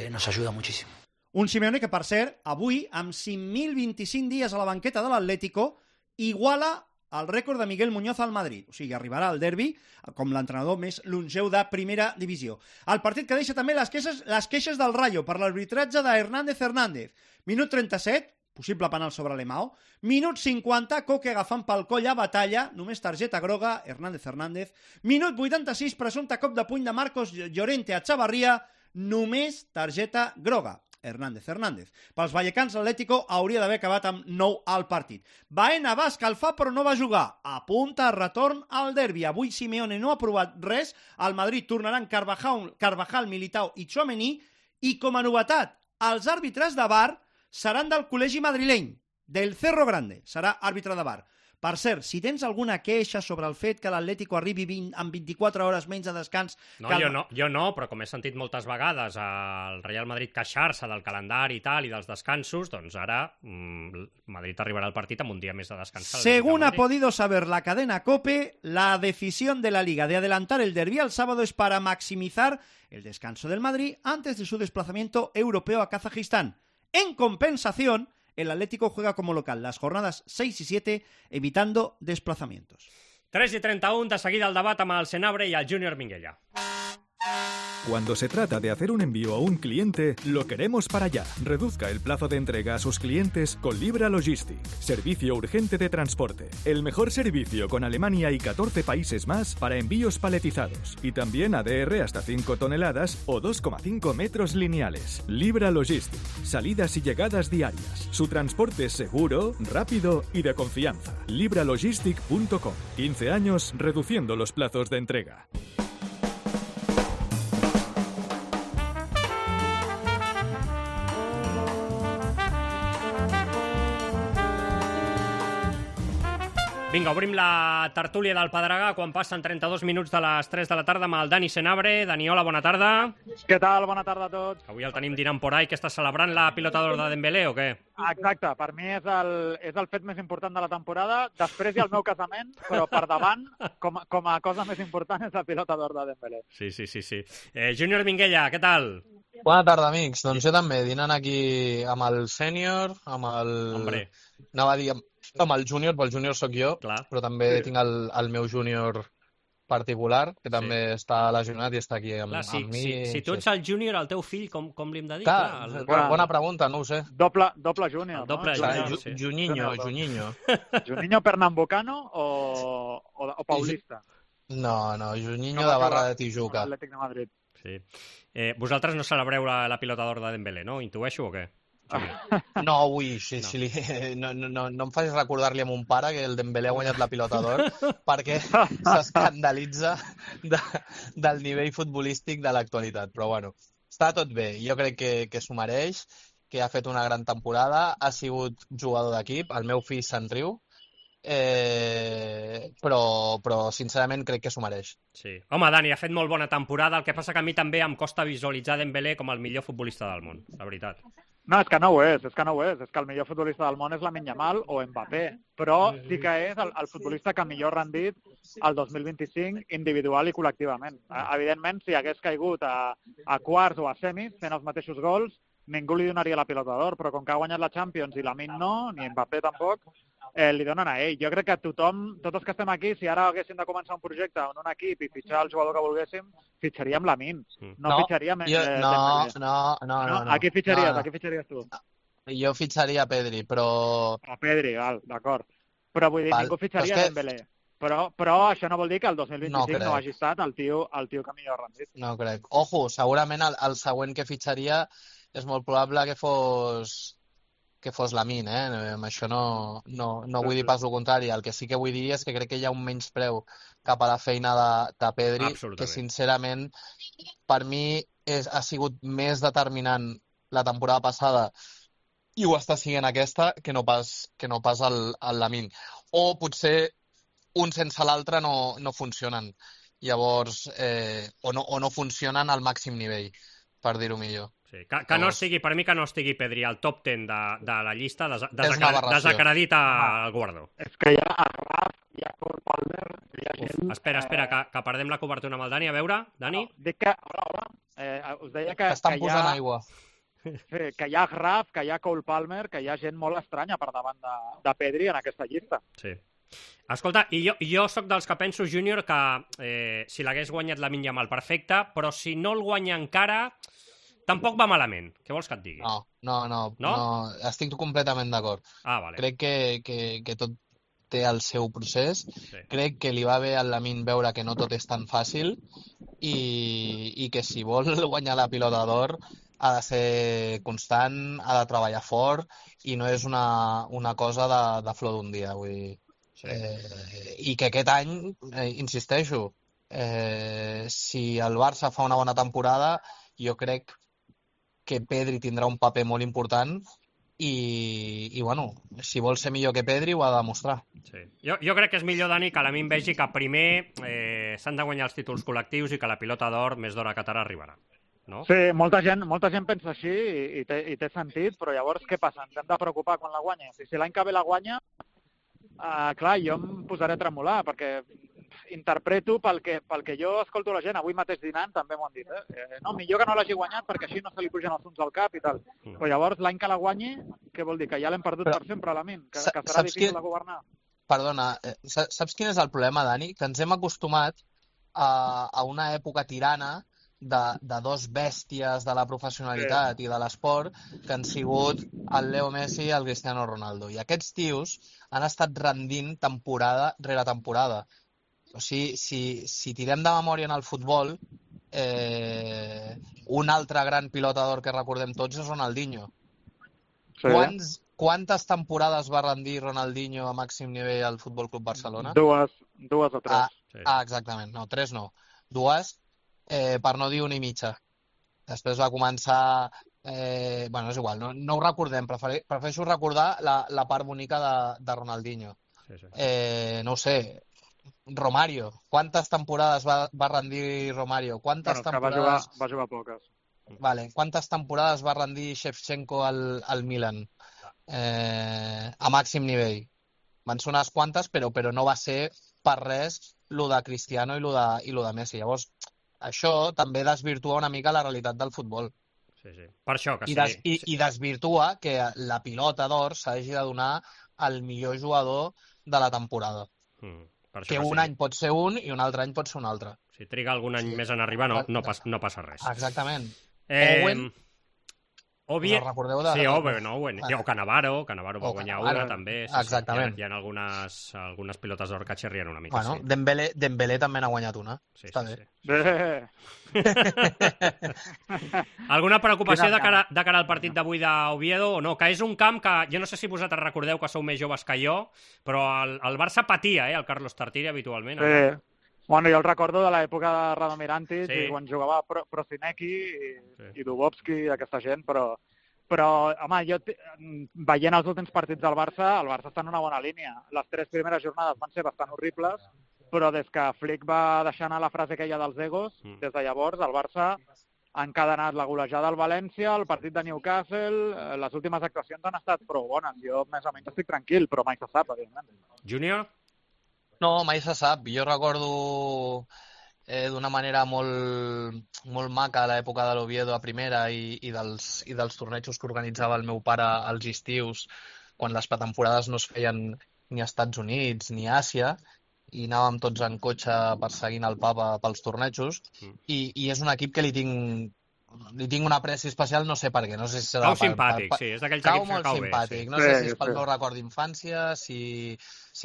[SPEAKER 15] nos ayuda muchísimo.
[SPEAKER 14] Un Simeone que, per cert, avui, amb 5.025 dies a la banqueta de l'Atlético, iguala el rècord de Miguel Muñoz al Madrid. O sigui, arribarà al derbi com l'entrenador més longeu de primera divisió. El partit que deixa també les queixes del Rayo per l'arbitratge de Hernández. Minut 37, possible penal sobre l'Emao. Minut 50, Coque agafant pel coll a Batalla, només targeta groga, Hernández. Minut 86, presumpte cop de puny de Marcos Llorente a Chavarria, només targeta groga. Hernández. Pels vallecans, l'Atlético hauria d'haver acabat amb 9 al partit. Baena va escalfar però no va jugar. Apunta a retorn al derbi. Avui Simeone no ha provat res. Al Madrid tornaran Carvajal, Militao i Tchouaméni. I com a novetat, els àrbitres de VAR seran del col·legi madrileny, del Cerro Grande. Serà àrbitre de VAR. Per cert, si tens alguna queixa sobre el fet que l'Atlético arribi amb 24 hores menys de descans...
[SPEAKER 4] Jo no, però com he sentit moltes vegades al Real Madrid queixar-se del calendari i tal, i dels descansos, doncs ara Madrid arribarà al partit amb un dia més de descans.
[SPEAKER 14] Según ha podido saber la cadena COPE, la decisión de la Liga de adelantar el derbi al sábado es para maximizar el descanso del Madrid antes de su desplazamiento europeo a Kazajistán. En compensación, el Atlético juega como local las jornadas 6 y 7, evitando desplazamientos.
[SPEAKER 4] 3:31, de seguida el debat amb el Senabre y el Júnior Minguella.
[SPEAKER 16] Cuando se trata de hacer un envío a un cliente, lo queremos para allá. Reduzca el plazo de entrega a sus clientes con Libra Logistic. Servicio urgente de transporte. El mejor servicio con Alemania y 14 países más para envíos paletizados. Y también ADR hasta 5 toneladas o 2,5 metros lineales. Libra Logistic. Salidas y llegadas diarias. Su transporte es seguro, rápido y de confianza. libralogistic.com. 15 años reduciendo los plazos de entrega.
[SPEAKER 4] Vinga, obrim la tertúlia del Pedregà quan passen 32 minuts de les 3 de la tarda amb el Dani Senabre. Dani, hola, bona tarda.
[SPEAKER 17] Què tal? Bona tarda a tots.
[SPEAKER 4] Avui el tenim dinant por ahí, que està celebrant la pilota d'or de Dembélé o què?
[SPEAKER 17] Exacte, per mi és el fet més important de la temporada. Després hi ha el meu casament, però per davant, com a cosa més important, és la pilota d'or de Dembélé.
[SPEAKER 4] Sí. Júnior Minguella, què tal?
[SPEAKER 18] Bona tarda, amics. Doncs jo també, dinant aquí amb el sènior, amb el...
[SPEAKER 4] Hombre.
[SPEAKER 18] Anava a dir amb el júnior, però el júnior sóc jo,
[SPEAKER 4] clar,
[SPEAKER 18] però també tinc el meu júnior particular, que també està lesionat i està aquí amb mi.
[SPEAKER 4] Si tu ets el júnior, el teu fill, com li hem de dir?
[SPEAKER 18] Bona pregunta, no ho sé.
[SPEAKER 17] Doble júnior,
[SPEAKER 4] no? Doble júnior, sí.
[SPEAKER 18] Juninho.
[SPEAKER 17] Juninho pernambucano o paulista?
[SPEAKER 18] No, Juninho de Barra de Tijuca.
[SPEAKER 17] Atlètic de Madrid.
[SPEAKER 4] Sí. Vosaltres no celebreu la pilota d'or de Dembélé, no? Intueixo o què?
[SPEAKER 18] No, avui, no em facis recordar-li a mon pare que el Dembélé ha guanyat la pilota d'or perquè s'escandalitza del nivell futbolístic de l'actualitat. Però bueno, està tot bé. Jo crec que s'ho mereix, que ha fet una gran temporada, ha sigut jugador d'equip, el meu fill se'n riu, però sincerament crec que s'ho mereix.
[SPEAKER 4] Sí. Home, Dani, ha fet molt bona temporada, el que passa que a mi també em costa visualitzar Dembélé com el millor futbolista del món, la veritat.
[SPEAKER 17] No, és que no ho és. És que el millor futbolista del món és Lamine Yamal o Mbappé, però sí que és el futbolista que millor rendit el 2025 individual i col·lectivament. Evidentment, si hagués caigut a quarts o a semis fent els mateixos gols, ningú li donaria la pilota d'or, però com que ha guanyat la Champions i Lamine no, ni Mbappé tampoc, li donen a ell. Jo crec que tothom, tots els que estem aquí, si ara haguéssim de començar un projecte en un equip i fitxar el jugador que volguéssim, fitxaríem Lamine. No fitxaríem...
[SPEAKER 18] No.
[SPEAKER 17] A qui fitxaries tu?
[SPEAKER 18] Jo fitxaria Pedri, però...
[SPEAKER 17] A Pedri, d'acord. Però vull dir, ningú fitxaria Dembélé. Però això no vol dir que el 2025 no hagi estat el tio que millor ha rendit.
[SPEAKER 18] No crec. Ojo, segurament el següent que fitxaria és molt probable que fos Lamine, Amb això no vull dir pas el contrari. El que sí que vull dir és que crec que hi ha un menyspreu cap a la feina de Pedri, que sincerament per mi ha sigut més determinant la temporada passada i ho està sent aquesta que no pas el Lamine. O potser un sense l'altre no funcionen. Llavors, o no funcionen al màxim nivell, per dir-ho millor.
[SPEAKER 4] Sí, que no estigui, per mi que no estigui Pedri al top 10 de la llista desacredita el guardó.
[SPEAKER 17] És que hi ha Raf, hi ha Cole Palmer, hi ha gent...
[SPEAKER 4] Espera, que perdem la cobertura amb el Dani. A veure, Dani?
[SPEAKER 17] Dic que... us deia que
[SPEAKER 18] estan posant aigua.
[SPEAKER 17] Sí, que hi ha Raf, que hi ha Cole Palmer, que hi ha gent molt estranya per davant de Pedri en aquesta llista.
[SPEAKER 4] Sí. Escolta, i jo sóc dels que penso, Júnior, que si l'hagués guanyat Lamine Yamal, perfecte, però si no el guanya encara, tampoc va malament. Què vols que et digui?
[SPEAKER 18] No, estic completament d'acord.
[SPEAKER 4] Vale.
[SPEAKER 18] Crec que tot té el seu procés. Sí. Crec que li va bé al Lamine veure que no tot és tan fàcil i que si vol guanyar la pilota d'or ha de ser constant, ha de treballar fort i no és una cosa de flor d'un dia. Vull dir. Sí. I que aquest any, insisteixo, si el Barça fa una bona temporada, jo crec que Pedri tindrà un paper molt important i bueno, si vol ser millor que Pedri ho ha de demostrar.
[SPEAKER 4] Sí. Jo crec que és millor, Dani, que Lamine vegi que primer s'han de guanyar els títols col·lectius i que la pilota d'or més d'hora que tard arribarà. No?
[SPEAKER 17] Sí, molta gent pensa així i té sentit, però llavors què passa? Ens hem de preocupar quan la guanya. Si l'any que ve la guanya, clar, jo em posaré a tremolar, perquè interpreto pel que jo escolto la gent, avui mateix dinant també m'ho han dit, no, millor que no l'hagi guanyat perquè així no se li pugen els fums al cap i tal. Però llavors l'any que la guanyi, què vol dir? Que ja l'hem perdut per sempre, Lamine, que serà difícil de governar.
[SPEAKER 18] Perdona, saps quin és el problema, Dani? Que ens hem acostumat a una època tirana de dos bèsties de la professionalitat i de l'esport que han sigut el Leo Messi i el Cristiano Ronaldo. I aquests tios han estat rendint temporada rere temporada. O sigui, si tirem de memòria en el futbol, un altre gran pilota d'or que recordem tots és Ronaldinho. Sí. Quantes temporades va rendir Ronaldinho a màxim nivell al Futbol Club Barcelona?
[SPEAKER 17] Dues o tres.
[SPEAKER 18] Exactament. No, tres no. Dues, per no dir una i mitja. Després va començar... bueno, és igual, no ho recordem. Prefereixo recordar la part bonica de Ronaldinho. Sí. No ho sé... Romario. Quantes temporades va rendir Romario? Quantes temporades...
[SPEAKER 17] Va jugar poques.
[SPEAKER 18] Vale. Quantes temporades va rendir Shevchenko al Milan? A màxim nivell. Van ser unes quantes, però no va ser per res lo de Cristiano i lo de Messi. Llavors, això també desvirtua una mica la realitat del futbol.
[SPEAKER 4] Sí. Per això que
[SPEAKER 18] sí. I desvirtua que la pilota d'or s'hagi de donar al millor jugador de la temporada. Que un any pot ser un i un altre any pot ser un altre.
[SPEAKER 4] Si triga algun any més en arribar, no passa res.
[SPEAKER 18] Exactament.
[SPEAKER 4] Owen,
[SPEAKER 18] recordeu
[SPEAKER 4] sí, Owen, o Cannavaro va guanyar una també.
[SPEAKER 18] Exactament.
[SPEAKER 4] Hi ha algunes pilotes d'or que xerrien una mica.
[SPEAKER 18] Bueno, sí. Dembélé també n'ha guanyat una.
[SPEAKER 4] Sí. Alguna preocupació de cara al partit d'avui d'Oviedo o no? Que és un camp que, jo no sé si vosaltres recordeu que sou més joves que jo, però el Barça patia, el Carlos Tartiere habitualment.
[SPEAKER 17] Sí. Bueno, jo el recordo de l'època de Radomirantic, i quan jugava Prosinecki i Dubovski i aquesta gent, però home, jo veient els últims partits del Barça, el Barça està en una bona línia. Les 3 primeres jornades van ser bastant horribles, però des que Flick va deixar anar la frase aquella dels egos, des de llavors el Barça ha encadenat la golejada al València, el partit de Newcastle, les últimes actuacions han estat prou bones. Jo més o menys estic tranquil, però mai se sap, evidentment.
[SPEAKER 4] Júnior?
[SPEAKER 18] No, mai se sap. Jo recordo d'una manera molt maca l'època de l'Oviedo a primera i dels tornejos que organitzava el meu pare als estius, quan les pretemporades no es feien ni als Estats Units ni a Àsia, i anàvem tots en cotxe perseguint el papa pels tornejos, i és un equip que li tinc una apreci especial, no sé per què. No sé si serà
[SPEAKER 4] simpàtic, sí, és d'aquells equips que cau bé.
[SPEAKER 18] Simpàtic. No sé si és pel meu record d'infància, si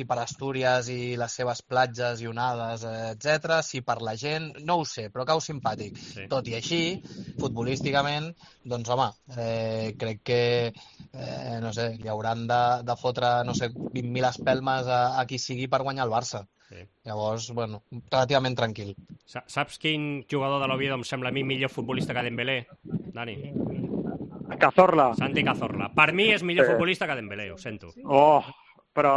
[SPEAKER 18] per Astúries i les seves platges i onades, etc, si per la gent, no ho sé, però cau simpàtic. Sí. Tot i així, futbolísticament, doncs home, crec que no sé, li hauran de fotre, no sé, 20.000 espelmes a qui sigui per guanyar el Barça. Sí. Llavors, bueno, relativament tranquil.
[SPEAKER 4] Saps quin jugador de l'Oviedo em sembla a mi millor futbolista que Dembélé, Dani?
[SPEAKER 17] Cazorla.
[SPEAKER 4] Santi Cazorla. Per mi és millor futbolista que Dembélé, ho sento.
[SPEAKER 17] Però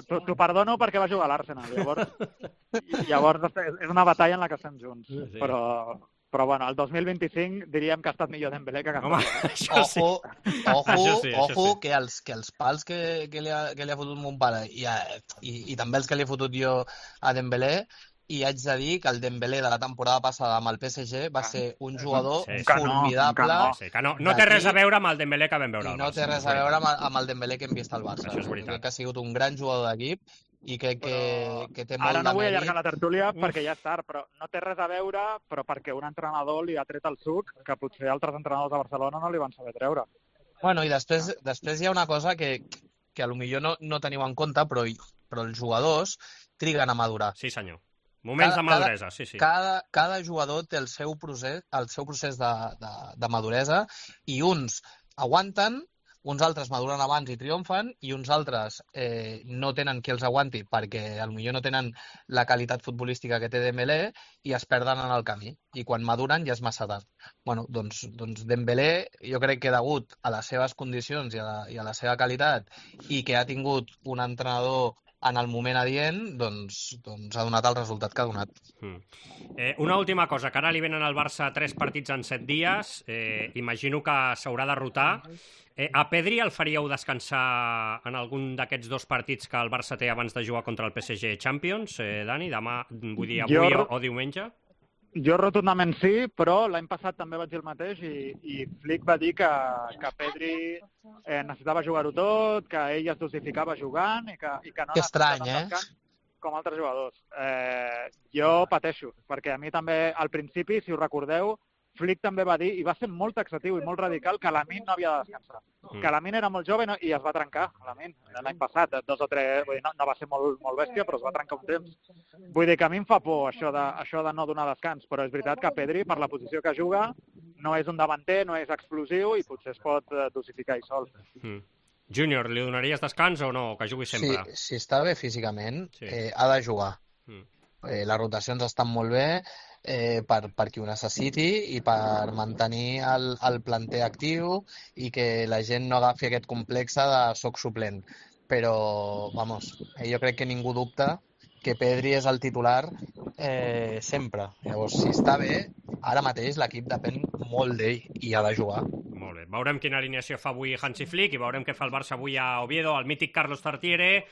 [SPEAKER 17] t'ho perdono perquè va jugar a l'Arsenal. Llavors és una batalla en la que estem junts. Sí. Però bueno, el 2025 diríem que ha estat millor Dembélé que Cazorla.
[SPEAKER 18] Ojo, que els pals que li ha fotut mon pare i també els que li he fotut jo a Dembélé i haig de dir que el Dembélé de la temporada passada amb el PSG va ser un jugador formidable.
[SPEAKER 4] No té res a veure amb el Dembélé que vam veure al Barça.
[SPEAKER 18] I no té res a veure amb el Dembélé que hem vist al Barça.
[SPEAKER 4] Això és veritat.
[SPEAKER 18] Crec que ha sigut un gran jugador d'equip i crec que té molt de mèrit.
[SPEAKER 17] Ara no vull allargar la tertúlia perquè ja és tard, però no té res a veure, però perquè un entrenador li ha tret el suc que potser altres entrenadors de Barcelona no li van saber treure.
[SPEAKER 18] Bueno, i després hi ha una cosa que a lo millor no teniu en compte, però els jugadors triguen a madurar.
[SPEAKER 4] Sí, senyor. Moments de maduresa, sí.
[SPEAKER 18] Cada jugador té el seu procés de maduresa i uns aguanten, uns altres maduren abans i triomfen i uns altres no tenen qui els aguanti perquè potser no tenen la qualitat futbolística que té Dembélé i es perden en el camí. I quan maduren ja és massa tard. Bueno, doncs Dembélé, jo crec que degut a les seves condicions i a la seva qualitat i que ha tingut un entrenador en el moment adient, doncs ha donat el resultat que ha donat.
[SPEAKER 4] Una última cosa, que ara li venen al Barça 3 partits en 7 dies, imagino que s'haurà de rotar. A Pedri el faríeu descansar en algun d'aquests 2 partits que el Barça té abans de jugar contra el PSG Champions, Dani? Demà, vull dir, avui o diumenge?
[SPEAKER 17] Jo rotundament sí, però l'any passat també vaig dir el mateix i Flick va dir que Pedri necessitava jugar-ho tot, que ell es dosificava jugant i que no necessitava descans com altres jugadors. Jo pateixo, perquè a mi també al principi, si us recordeu, Flick també va dir, i va ser molt taxatiu i molt radical, que Lamine no havia de descansar. Que Lamine era molt jove i es va trencar, Lamine, l'any passat, 2 o 3, vull dir, no va ser molt bèstia, però es va trencar un temps. Vull dir que a mi em fa por això de no donar descans, però és veritat que Pedri, per la posició que juga, no és un davanter, no és explosiu i potser es pot dosificar ell sol.
[SPEAKER 4] Júnior, li donaries descans o no? Que jugui sempre?
[SPEAKER 18] Si està bé físicament, ha de jugar. Les rotacions estan molt bé, per qui ho necessiti i per mantenir el planter actiu i que la gent no agafi aquest complex de soc suplent. Però, jo crec que ningú dubta que Pedri és el titular sempre. Llavors, si està bé, ara mateix l'equip depèn molt d'ell i ha de jugar.
[SPEAKER 4] Molt bé. Veurem quina alineació fa avui Hansi Flick i veurem què fa el Barça avui a Oviedo, el mític Carlos Tartiere.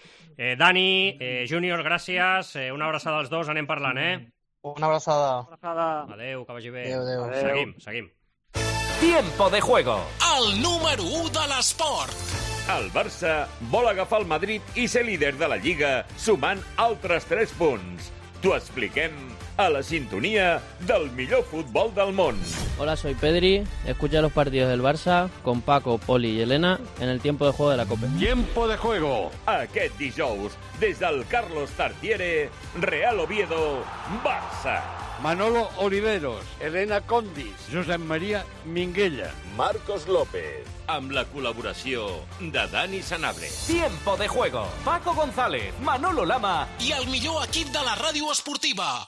[SPEAKER 4] Dani, Júnior, gràcies. Una abraçada als dos, anem parlant,
[SPEAKER 18] Una abraçada.
[SPEAKER 4] Adéu, que vagi bé.
[SPEAKER 18] Adéu.
[SPEAKER 4] Seguim.
[SPEAKER 19] Tiempo de juego.
[SPEAKER 9] El número 1 de l'esport.
[SPEAKER 20] El Barça vol agafar el Madrid i ser líder de la Lliga, sumant altres 3 punts. T'ho expliquem a la sintonia del millor futbol del món.
[SPEAKER 21] Hola, soy Pedri. Escucha los partidos del Barça con Paco, Poli y Elena en el tiempo de juego de la COPE.
[SPEAKER 20] Tiempo de juego. Aquest dijous, des del Carlos Tartiere, Real Oviedo, Barça.
[SPEAKER 22] Manolo Oliveros, Elena Condis, Josep Maria Minguella,
[SPEAKER 9] Marcos López, amb la col·laboració de Dani Sanabria.
[SPEAKER 19] Tiempo de juego. Paco González, Manolo Lama
[SPEAKER 9] i el millor equip de la ràdio esportiva.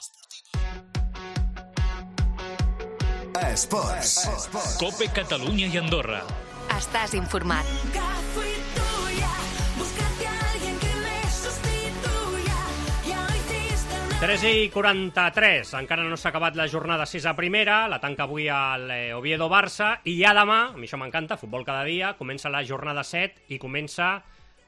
[SPEAKER 23] Esports.
[SPEAKER 19] COPE Catalunya i Andorra.
[SPEAKER 3] Estàs informat.
[SPEAKER 4] 3:43, encara no s'ha acabat la jornada 6 a primera, la tanca avui al Oviedo-Barça, i ja demà, a mi això m'encanta, futbol cada dia, comença la jornada 7 i comença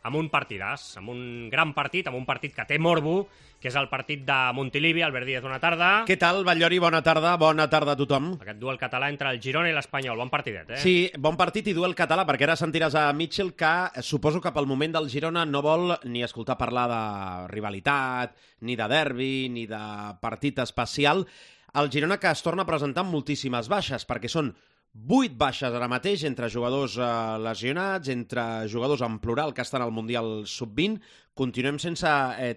[SPEAKER 4] amb un partidàs, amb un gran partit, amb un partit que té morbo, que és el partit de Montilivi. Albert Díaz, bona tarda.
[SPEAKER 24] Què tal, Batllori? Bona tarda a tothom.
[SPEAKER 4] Aquest duel català entre el Girona i l'Espanyol, bon partidet,
[SPEAKER 24] Sí, bon partit i duel català, perquè ara sentiràs a Mitchell que suposo que pel moment del Girona no vol ni escoltar parlar de rivalitat, ni de derbi, ni de partit especial. El Girona que es torna a presentar amb moltíssimes baixes, perquè són 8 baixes ara mateix, entre jugadors lesionats, entre jugadors en plural que estan al Mundial Sub-20. Continuem sense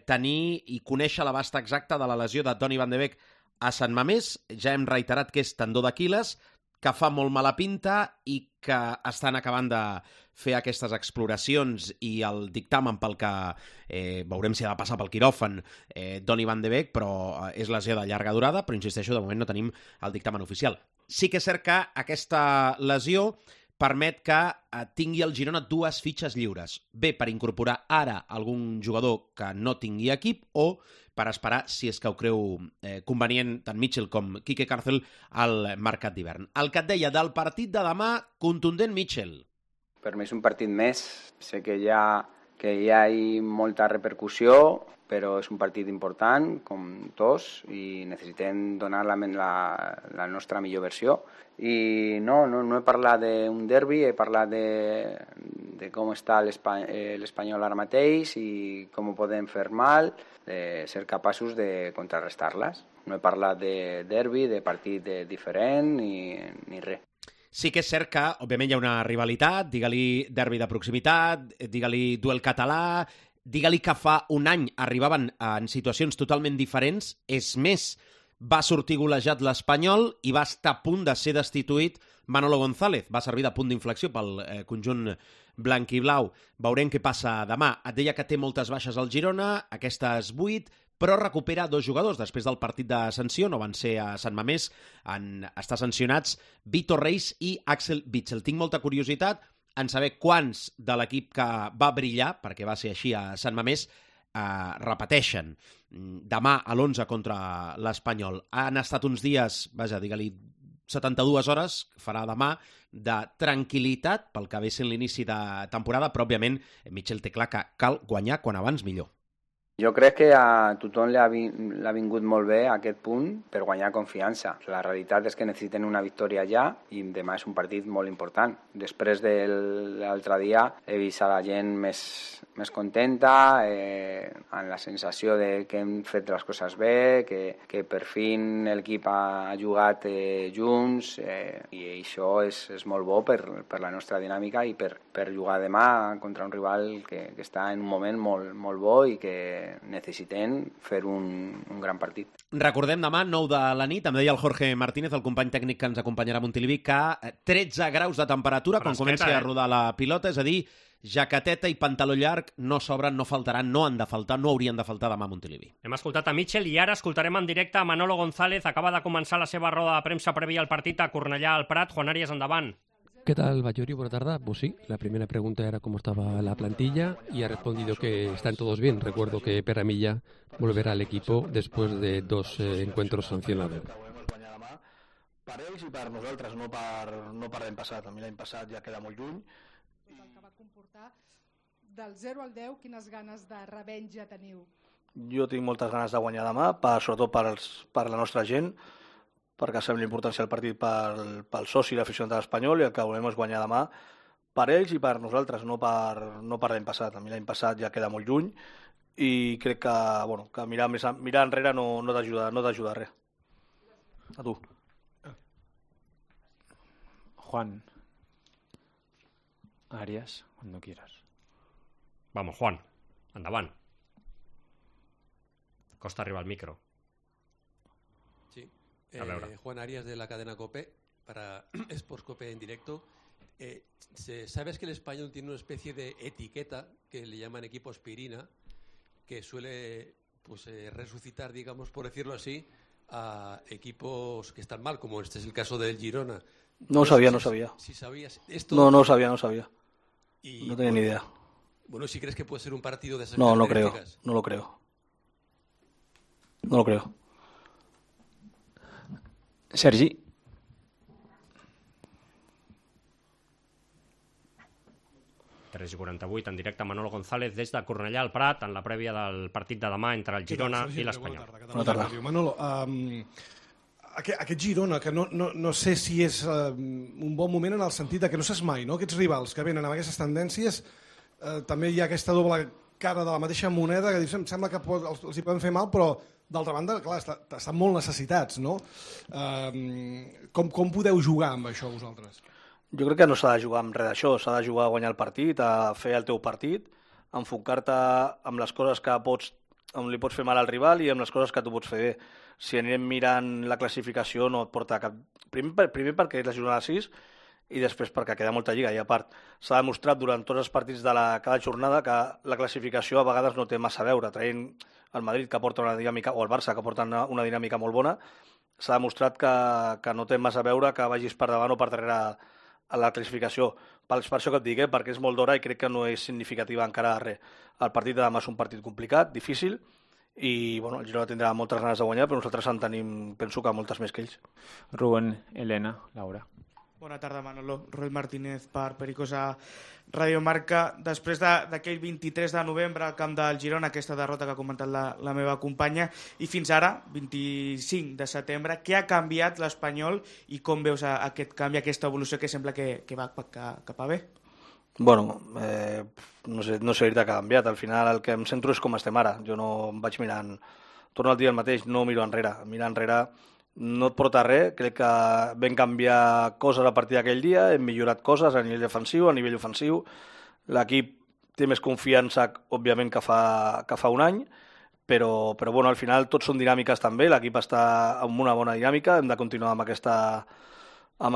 [SPEAKER 24] tenir i conèixer l'abast exacte de la lesió de Donny van de Beek a Sant Mamés. Ja hem reiterat que és tendó d'Aquil·les, que fa molt mala pinta i que estan acabant de fer aquestes exploracions i el dictamen pel que veurem si ha de passar pel quiròfan Donny van de Beek, però és lesió de llarga durada, però insisteixo, de moment no tenim el dictamen oficial. Sí que és cert que aquesta lesió permet que tingui el Girona 2 fitxes lliures. Bé, per incorporar ara algun jugador que no tingui equip o per esperar, si és que ho creu convenient tant Mitchell com Quique Cárcel, al mercat d'hivern. El que et deia del partit de demà, contundent Mitchell.
[SPEAKER 25] Per mi és un partit més. Sé que hi ha
[SPEAKER 5] que hi ha molta repercussió, però és un partit important, com tots, i necessitem donar la nostra millor versió. I no he parlat d'un derbi, he parlat de com està l'Espanyol ara mateix i com ho podem fer mal, de ser capaços de contrarrestar-les. No he parlat de derbi, de partit diferent, ni res.
[SPEAKER 24] Sí que és cert que, òbviament, hi ha una rivalitat, digue-li derbi de proximitat, digue-li duel català, digue-li que fa un any arribaven en situacions totalment diferents. És més, va sortir golejat l'Espanyol i va estar a punt de ser destituït Manolo González. Va servir de punt d'inflexió pel conjunt blanc i blau. Veurem què passa demà. Et deia que té moltes baixes al Girona, aquestes 8, però recupera 2 jugadors després del partit de sanció, no van ser a Sant Mamés, han estat sancionats Vitor Reis i Axel Witsel. Tinc molta curiositat en saber quants de l'equip que va brillar, perquè va ser així a Sant Mamés, repeteixen demà a l'11 contra l'Espanyol. Han estat uns dies, digue-li 72 hores, farà demà, de tranquil·litat pel que ve sent l'inici de temporada, però òbviament Michel té clar que cal guanyar quan abans millor.
[SPEAKER 5] Jo crec que a tothom l'ha vingut molt bé a aquest punt per guanyar confiança. La realitat és que necessiten una victòria ja i demà és un partit molt important. Després de l'altre dia he vist a la gent més contenta, amb la sensació de que hem fet les coses bé, que per fin l'equip ha jugat junts i això és molt bo per la nostra dinàmica i per jugar demà contra un rival que està en un moment molt bo i que necessitem fer un gran partit.
[SPEAKER 24] Recordem demà, 9 de la nit, em deia el Jorge Martínez, el company tècnic que ens acompanyarà a Montilivi, que 13 graus de temperatura quan comenci a rodar la pilota, és a dir, jaqueteta i pantaló llarg no sobren, no faltaran, no han de faltar, no haurien de faltar demà a Montilivi.
[SPEAKER 4] Hem escoltat a Michel i ara escoltarem en directe a Manolo González. Acaba de començar la seva roda de premsa prèvia al partit a Cornellà al Prat. Juan Arias, endavant.
[SPEAKER 7] ¿Qué tal, Bayori? Buenas tardes. Pues sí, la primera pregunta era cómo estaba la plantilla y ha respondido que están todos bien. Recuerdo que Peramilla volverá al equipo después de 2 encuentros sancionados.
[SPEAKER 8] Per ells i per nosaltres, no per l'any passat. A mi l'any passat ja queda molt lluny.
[SPEAKER 23] El que va comportar del 0 al 10, quines ganes de revenja teniu?
[SPEAKER 8] Jo tinc moltes ganes de guanyar demà, sobretot per la nostra gent, perquè sabem l'importància del partit pel soci i l'aficionat de l'Espanyol i el que volem és guanyar demà per ells i per nosaltres, no per l'any passat. A mi l'any passat ja queda molt lluny i crec que mirar enrere no t'ajuda res. A tu.
[SPEAKER 25] Juan. Arias, cuando quieras.
[SPEAKER 4] Vamos, Juan, endavant. Costa arriba al micro.
[SPEAKER 26] Sí. Juan Arias de la cadena COPE para Sports COPE en directo. ¿Sabes que el Español tiene una especie de etiqueta que le llaman equipo aspirina que suele resucitar, digamos, por decirlo así, a equipos que están mal, como este es el caso del Girona?
[SPEAKER 8] No sabía.
[SPEAKER 26] Si sabías esto.
[SPEAKER 8] No sabía. No tenía ni idea.
[SPEAKER 26] Bueno, si crees que puede ser un partido de esas
[SPEAKER 8] No
[SPEAKER 26] características.
[SPEAKER 8] lo creo.
[SPEAKER 25] Sergi.
[SPEAKER 4] i 48 en directe Manolo González des de Cornellà al Prat en la prèvia del partit de demà entre el Girona i l'Espanyol.
[SPEAKER 27] Bona tarda. Manolo, aquest Girona, que no sé si és un bon moment en el sentit que no saps mai, no? Aquests rivals que venen amb aquestes tendències, també hi ha aquesta doble cara de la mateixa moneda que em sembla que els hi poden fer mal, però d'altra banda, clar, estan molt necessitats, no? Com podeu jugar amb això vosaltres?
[SPEAKER 8] Jo crec que no s'ha de jugar amb res d'això, s'ha de jugar a guanyar el partit, a fer el teu partit, a enfocar-te amb les coses que on li pots fer mal al rival i amb les coses que tu pots fer bé. Si anirem mirant la classificació no et porta cap... Primer perquè és la jornada 6 i després perquè queda molta lliga i a part s'ha demostrat durant tots els partits de cada jornada que la classificació a vegades no té massa a veure, traient el Madrid que porta una dinàmica o el Barça que porta una dinàmica molt bona, s'ha demostrat que no té massa a veure que vagis per davant o per darrere a la classificació. Per això que et dic, perquè és molt d'hora i crec que no és significativa encara res. El partit de demà és un partit complicat, difícil, i el Girona tindrà moltes ganes de guanyar, però nosaltres en tenim, penso que moltes més que ells.
[SPEAKER 25] Rubén, Elena, Laura.
[SPEAKER 1] Bona tarda, Manolo. Roy Martínez per Pericosa Radio Marca. Després d'aquell 23 de novembre al camp del Girona, aquesta derrota que ha comentat la meva companya, i fins ara, 25 de setembre, què ha canviat l'Espanyol i com veus aquest canvi, aquesta evolució que sembla que va cap a bé?
[SPEAKER 8] Bueno, no sé dir-te que ha canviat. Al final el que em centro és com estem ara. Jo no em vaig mirant... Torno al dia el mateix, no miro enrere. Mirar enrere no et porta res. Crec que vam canviar coses a partir d'aquell dia, hem millorat coses a nivell defensiu, a nivell ofensiu. L'equip té més confiança, òbviament, que fa un any, però bueno, al final tots són dinàmiques també. L'equip està amb una bona dinàmica, hem de continuar amb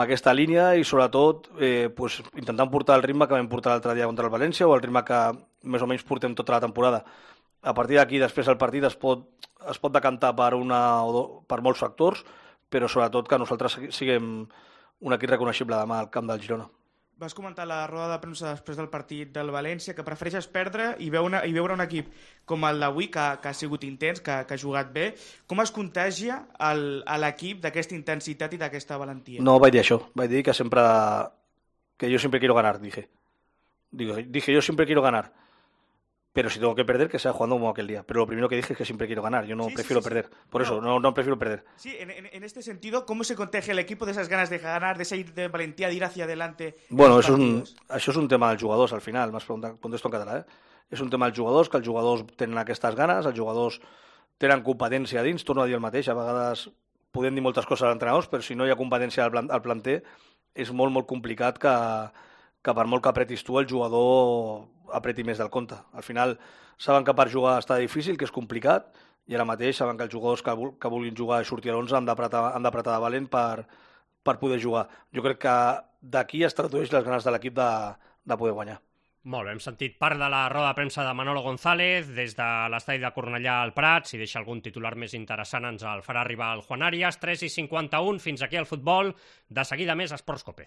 [SPEAKER 8] aquesta línia i sobretot intentant portar el ritme que vam portar l'altre dia contra el València o el ritme que més o menys portem tota la temporada. A partir d'aquí, després el partit es pot decantar per molts factors, però sobretot que nosaltres siguem un equip reconeixible demà al camp del Girona.
[SPEAKER 1] Vas comentar a la roda de premsa després del partit del València que prefereixes perdre i veure un equip com el d'avui, que ha sigut intens, que ha jugat bé. Com es contagia a l'equip d'aquesta intensitat i d'aquesta valentia?
[SPEAKER 8] No vaig dir això, vaig dir que yo siempre quiero ganar, dije yo siempre quiero ganar. Pero si tengo que perder, que sea jugando como aquel día. Pero lo primero que dije es que siempre quiero ganar. Yo no prefiero perder. Por eso, no prefiero perder.
[SPEAKER 1] Sí, en este sentido, ¿cómo se contagia el equipo de esas ganas de ganar, de esa valentía de ir hacia adelante?
[SPEAKER 8] Bueno, això és un tema dels jugadors, al final. M'has preguntat, contesto en català, És un tema dels jugadors, que els jugadors tenen aquestes ganes, els jugadors tenen competència a dins, torno a dir el mateix. A vegades podem dir moltes coses als entrenadors, però si no hi ha competència al planter, és molt, molt complicat que per molt que apretis tu, el jugador apreti més del compte. Al final, saben que per jugar està difícil, que és complicat, i ara mateix saben que els jugadors que vulguin jugar i sortir a l'11 han d'apretar de valent per poder jugar. Jo crec que d'aquí es tradueix les ganes de l'equip de poder guanyar.
[SPEAKER 4] Molt bé, hem sentit part de la roda de premsa de Manolo González des de l'estadi de Cornellà al Prat. Si deixa algun titular més interessant ens el farà arribar el Juan Arias. 3:51, fins aquí el futbol. De seguida més Esports Cope.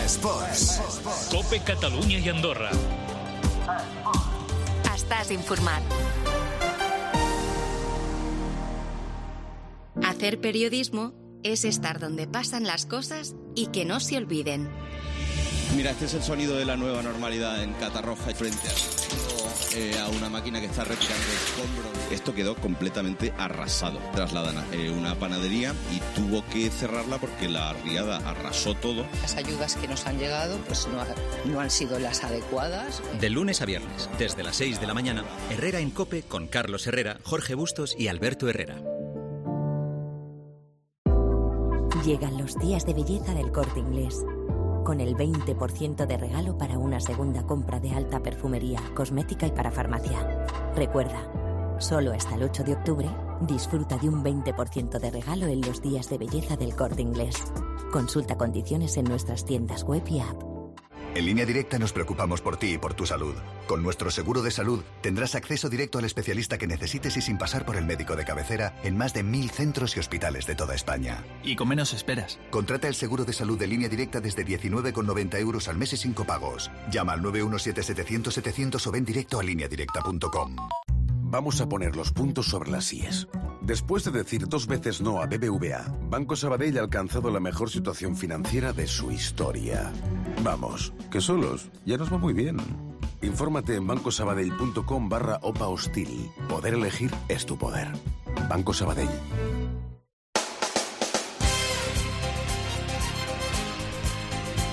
[SPEAKER 2] Esports. Cope Catalunya i Andorra.
[SPEAKER 6] Estàs informat. Hacer periodismo es estar donde pasan las cosas y que no se olviden.
[SPEAKER 10] Mira, este es el sonido de la nueva normalidad en Catarroja frente a una máquina que está retirando escombros. Esto quedó completamente arrasado. Trasladan a una panadería y tuvo que cerrarla porque la riada arrasó todo.
[SPEAKER 11] Las ayudas que nos han llegado pues no han sido las adecuadas.
[SPEAKER 12] De lunes a viernes, desde las 6 de la mañana, Herrera en COPE con Carlos Herrera, Jorge Bustos y Alberto Herrera.
[SPEAKER 13] Llegan los días de belleza del Corte Inglés, con el 20% de regalo para una segunda compra de alta perfumería, cosmética y para farmacia. Recuerda, solo hasta el 8 de octubre, disfruta de un 20% de regalo en los días de belleza del Corte Inglés. Consulta condiciones en nuestras tiendas web y app.
[SPEAKER 28] En Línea Directa nos preocupamos por ti y por tu salud. Con nuestro seguro de salud tendrás acceso directo al especialista que necesites y sin pasar por el médico de cabecera en más de 1.000 centros y hospitales de toda España.
[SPEAKER 29] Y con menos esperas.
[SPEAKER 28] Contrata el seguro de salud de Línea Directa desde 19,90 € al mes y sin copagos. Llama al 917-700-700 o ven directo a lineadirecta.com.
[SPEAKER 30] Vamos a poner los puntos sobre las IES. Después de decir 2 veces no a BBVA, Banco Sabadell ha alcanzado la mejor situación financiera de su historia. Vamos, que solos ya nos va muy bien. Infórmate en bancosabadell.com/OPA hostil. Poder elegir es tu poder. Banco Sabadell.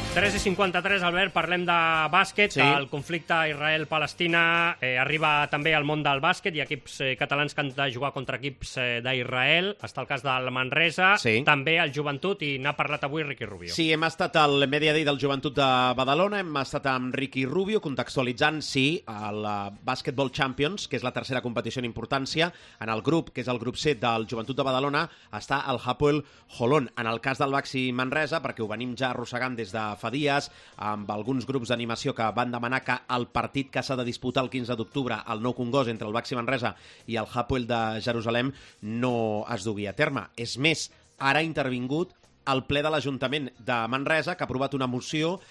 [SPEAKER 4] 3:53, Albert, parlem de bàsquet. Sí. El conflicte Israel-Palestina arriba també al món del bàsquet. Hi ha equips catalans que han de jugar contra equips d'Israel. Està el cas del Manresa, sí. També el Joventut, i n'ha parlat avui Ricky Rubio.
[SPEAKER 24] Sí, hem estat al Media Day del Joventut de Badalona, hem estat amb Ricky Rubio contextualitzant, sí, el Basketball Champions, que és la tercera competició en importància. En el grup, que és el grup C del Joventut de Badalona, està el Hapoel Holon. En el cas del Baxi Manresa, perquè ho venim ja arrossegant des de fa dies, amb alguns grups d'animació que van demanar que el partit que s'ha de disputar el 15 d'octubre al Nou Congost entre el Baxi Manresa i el Hapoel de Jerusalem no es dugui a terme. És més, ara ha intervingut el ple de l'Ajuntament de Manresa, que ha aprovat una moció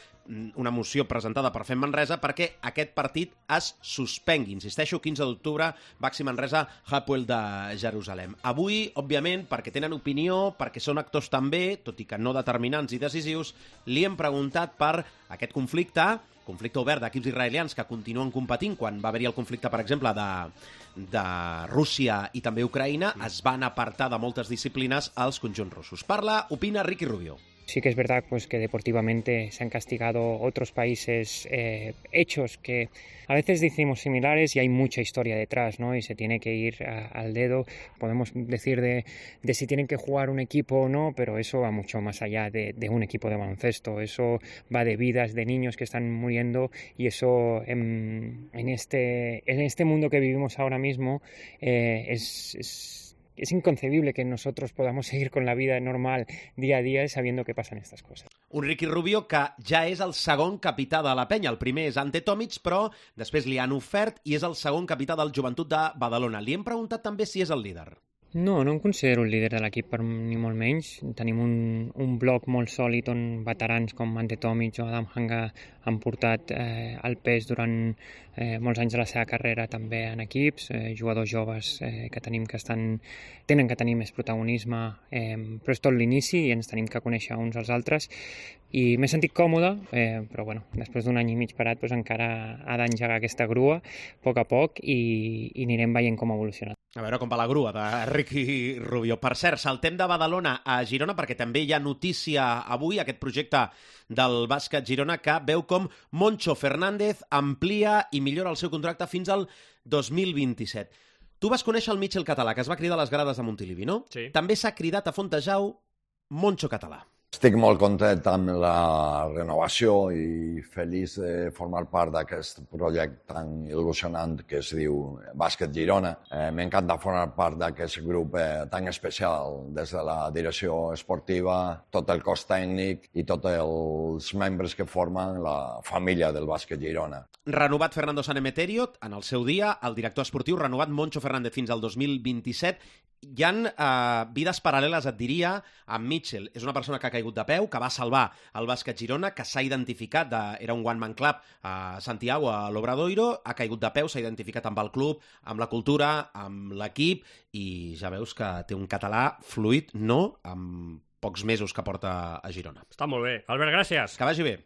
[SPEAKER 24] una moció presentada per FEM Manresa perquè aquest partit es suspengui. Insisteixo, 15 d'octubre, Baxi Manresa, Hapoel de Jerusalem. Avui, òbviament, perquè tenen opinió, perquè són actors també, tot i que no determinants i decisius, li hem preguntat per aquest conflicte obert d'equips israelians que continuen competint. Quan va haver-hi el conflicte, per exemple, de Rússia i també Ucraïna, es van apartar de moltes disciplines als conjunts russos. Opina Ricky Rubio.
[SPEAKER 9] Sí que es verdad pues, que deportivamente se han castigado otros países hechos que a veces decimos similares y hay mucha historia detrás, ¿no? Y se tiene que ir al dedo. Podemos decir de si tienen que jugar un equipo o no, pero eso va mucho más allá de un equipo de baloncesto. Eso va de vidas de niños que están muriendo y eso en este mundo que vivimos ahora mismo es inconcebible que nosotros podamos seguir con la vida normal día a día sabiendo que pasan estas cosas.
[SPEAKER 24] Un Ricky Rubio que ja és el segon capità de la penya. El primer és Ante Tomic, però després li han ofert i és el segon capità del Joventut de Badalona. Li hem preguntat també si és el líder.
[SPEAKER 9] No em considero el líder de l'equip ni molt menys. Tenim un bloc molt sòlid on veterans com Ante Tomic o Adam Hanga han portat el pes durant molts anys de la seva carrera també en equips, jugadors joves que tenim que tenen que tenir més protagonisme, però és tot l'inici i ens tenim que conèixer uns als altres i m'he sentit còmode, però bueno, després d'un any i mig parat doncs encara ha d'engegar aquesta grua a poc i anirem veient com evoluciona.
[SPEAKER 24] A veure com va la grua de Ricky Rubio. Per cert, saltem de Badalona a Girona perquè també hi ha notícia avui, aquest projecte del bàsquet Girona que veu com Moncho Fernández amplia i millora el seu contracte fins al 2027. Tu vas conèixer el Mitchell Català, que es va cridar a les grades de Montilivi, no?
[SPEAKER 4] Sí.
[SPEAKER 24] També s'ha cridat a Fontejau Moncho Català.
[SPEAKER 14] Estic molt content amb la renovació i feliç de formar part d'aquest projecte tan il·lusionant que es diu Bàsquet Girona. M'encanta formar part d'aquest grup tan especial des de la direcció esportiva, tot el cos tècnic i tots els membres que formen la família del Bàsquet Girona.
[SPEAKER 24] Renovat Fernando Sanemeterio, en el seu dia, el director esportiu, renovat Moncho Fernández fins al 2027. Hi ha vides paral·leles, et diria, amb Mitchell. És una persona que ha caigut de peu, que va salvar el bàsquet Girona, que s'ha identificat, era un one-man club a Santiago, a l'Obradoiro, ha caigut de peu, s'ha identificat amb el club, amb la cultura, amb l'equip, i ja veus que té un català fluid, no?, amb pocs mesos que porta a Girona.
[SPEAKER 4] Està molt bé. Albert, gràcies.
[SPEAKER 24] Que vagi bé.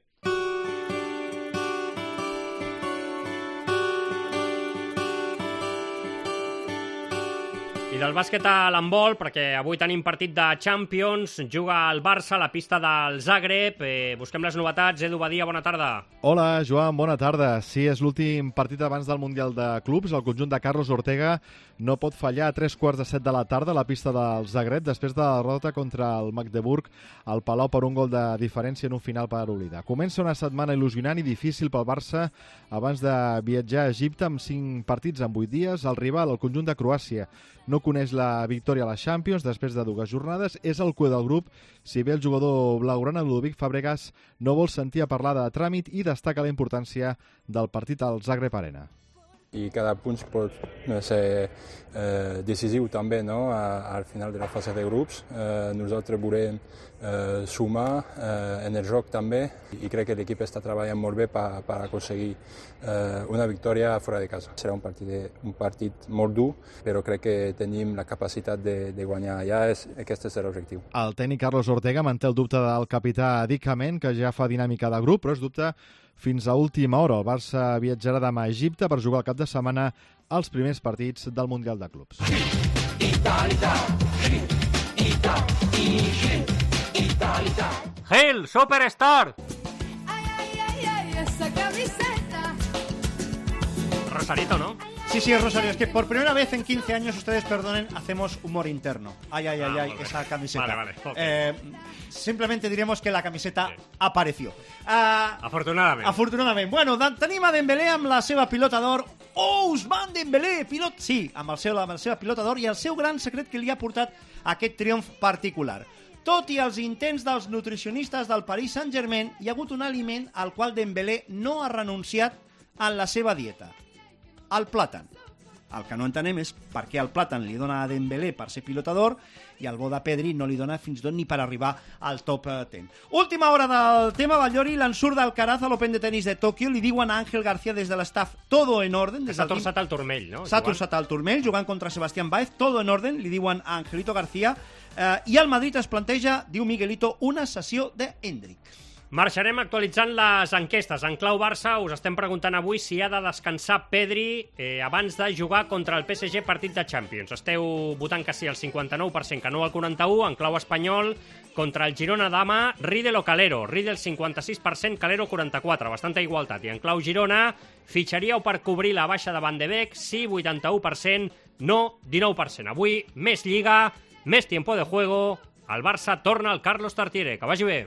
[SPEAKER 4] I del bàsquet a l'handbol, perquè avui tenim partit de Champions, juga el Barça a la pista del Zagreb. Busquem les novetats. Edu Badia, bona tarda.
[SPEAKER 15] Hola, Joan, bona tarda. Sí, és l'últim partit abans del Mundial de Clubs. El conjunt de Carlos Ortega no pot fallar a 3:45 de la tarda a la pista del Zagreb després de la derrota contra el Magdeburg al Palau per un gol de diferència en un final per oblidar. Comença una setmana il·lusionant i difícil pel Barça abans de viatjar a Egipte amb 5 partits en 8 dies. El rival, el conjunt de Croàcia, no coneix la victòria a la Champions després de 2 jornades. És el cué del grup, si bé el jugador blaugrana Ludovic Fabregas no vol sentir a parlar de tràmit i destaca la importància del partit al Zagreb Arena.
[SPEAKER 16] I cada punt pot ser decisiu també, no? Al final de la fase de grups. Nosaltres volem sumar en el joc també i crec que l'equip està treballant molt bé per aconseguir una victòria fora de casa. Serà un partit molt dur, però crec que tenim la capacitat de guanyar allà. Aquest és l'objectiu.
[SPEAKER 15] El tècnic Carlos Ortega manté el dubte del capità Dick Amen, que ja fa dinàmica de grup, però és dubte fins a última hora. El Barça viatjarà demà a Egipte per jugar el cap de setmana als primers partits del Mundial de Clubs.
[SPEAKER 4] Hail, Superstar! Rosarito, ¿no?
[SPEAKER 17] Sí, es Rosario. Es que por primera vez en 15 años, ustedes perdonen, hacemos humor interno. Ay, esa camiseta.
[SPEAKER 4] Vale. Okay.
[SPEAKER 17] Simplemente diremos que la camiseta apareció.
[SPEAKER 4] Afortunadament.
[SPEAKER 17] Bueno, tenim a Dembélé amb la seva pilota d'or. Ousmane Dembélé, pilot... Sí, amb la seva pilota d'or i el seu gran secret que li ha portat aquest triomf particular. Tot i els intents dels nutricionistes del Paris Saint-Germain, hi ha hagut un aliment al qual Dembélé no ha renunciat en la seva dieta. El plàtan. El que no entenem és per què el Platan li dona a Dembélé per ser pilotador i el bo de Pedri no li dona fins i tot ni per arribar al top 10. Última hora del tema, Batllori, l'ensurt d'Alcaraz a l'Open de tenis de Tòquio, li diuen a Ángel García des de l'estaf todo en orden.
[SPEAKER 4] S'ha torçat el turmell, no?
[SPEAKER 17] S'ha torçat el turmell, jugant contra Sebastián Báez, todo en orden, li diuen a Angelito García, i el Madrid es planteja, diu Miguelito, una sessió d'Hendrick.
[SPEAKER 4] Marxarem actualitzant les enquestes. En clau Barça us estem preguntant avui si ha de descansar Pedri abans de jugar contra el PSG partit de Champions. Esteu votant que sí al 59%, que no al 41%. En clau espanyol, contra el Girona demà, Riedel o Calero. Riedel 56%, Calero 44%. Bastanta igualtat. I en clau Girona, fitxaríeu per cobrir la baixa de Van de Beek? Sí, 81%, no, 19%. Avui, més Lliga, més tiempo de juego. El Barça torna al Carlos Tartiere. Que vagi bé.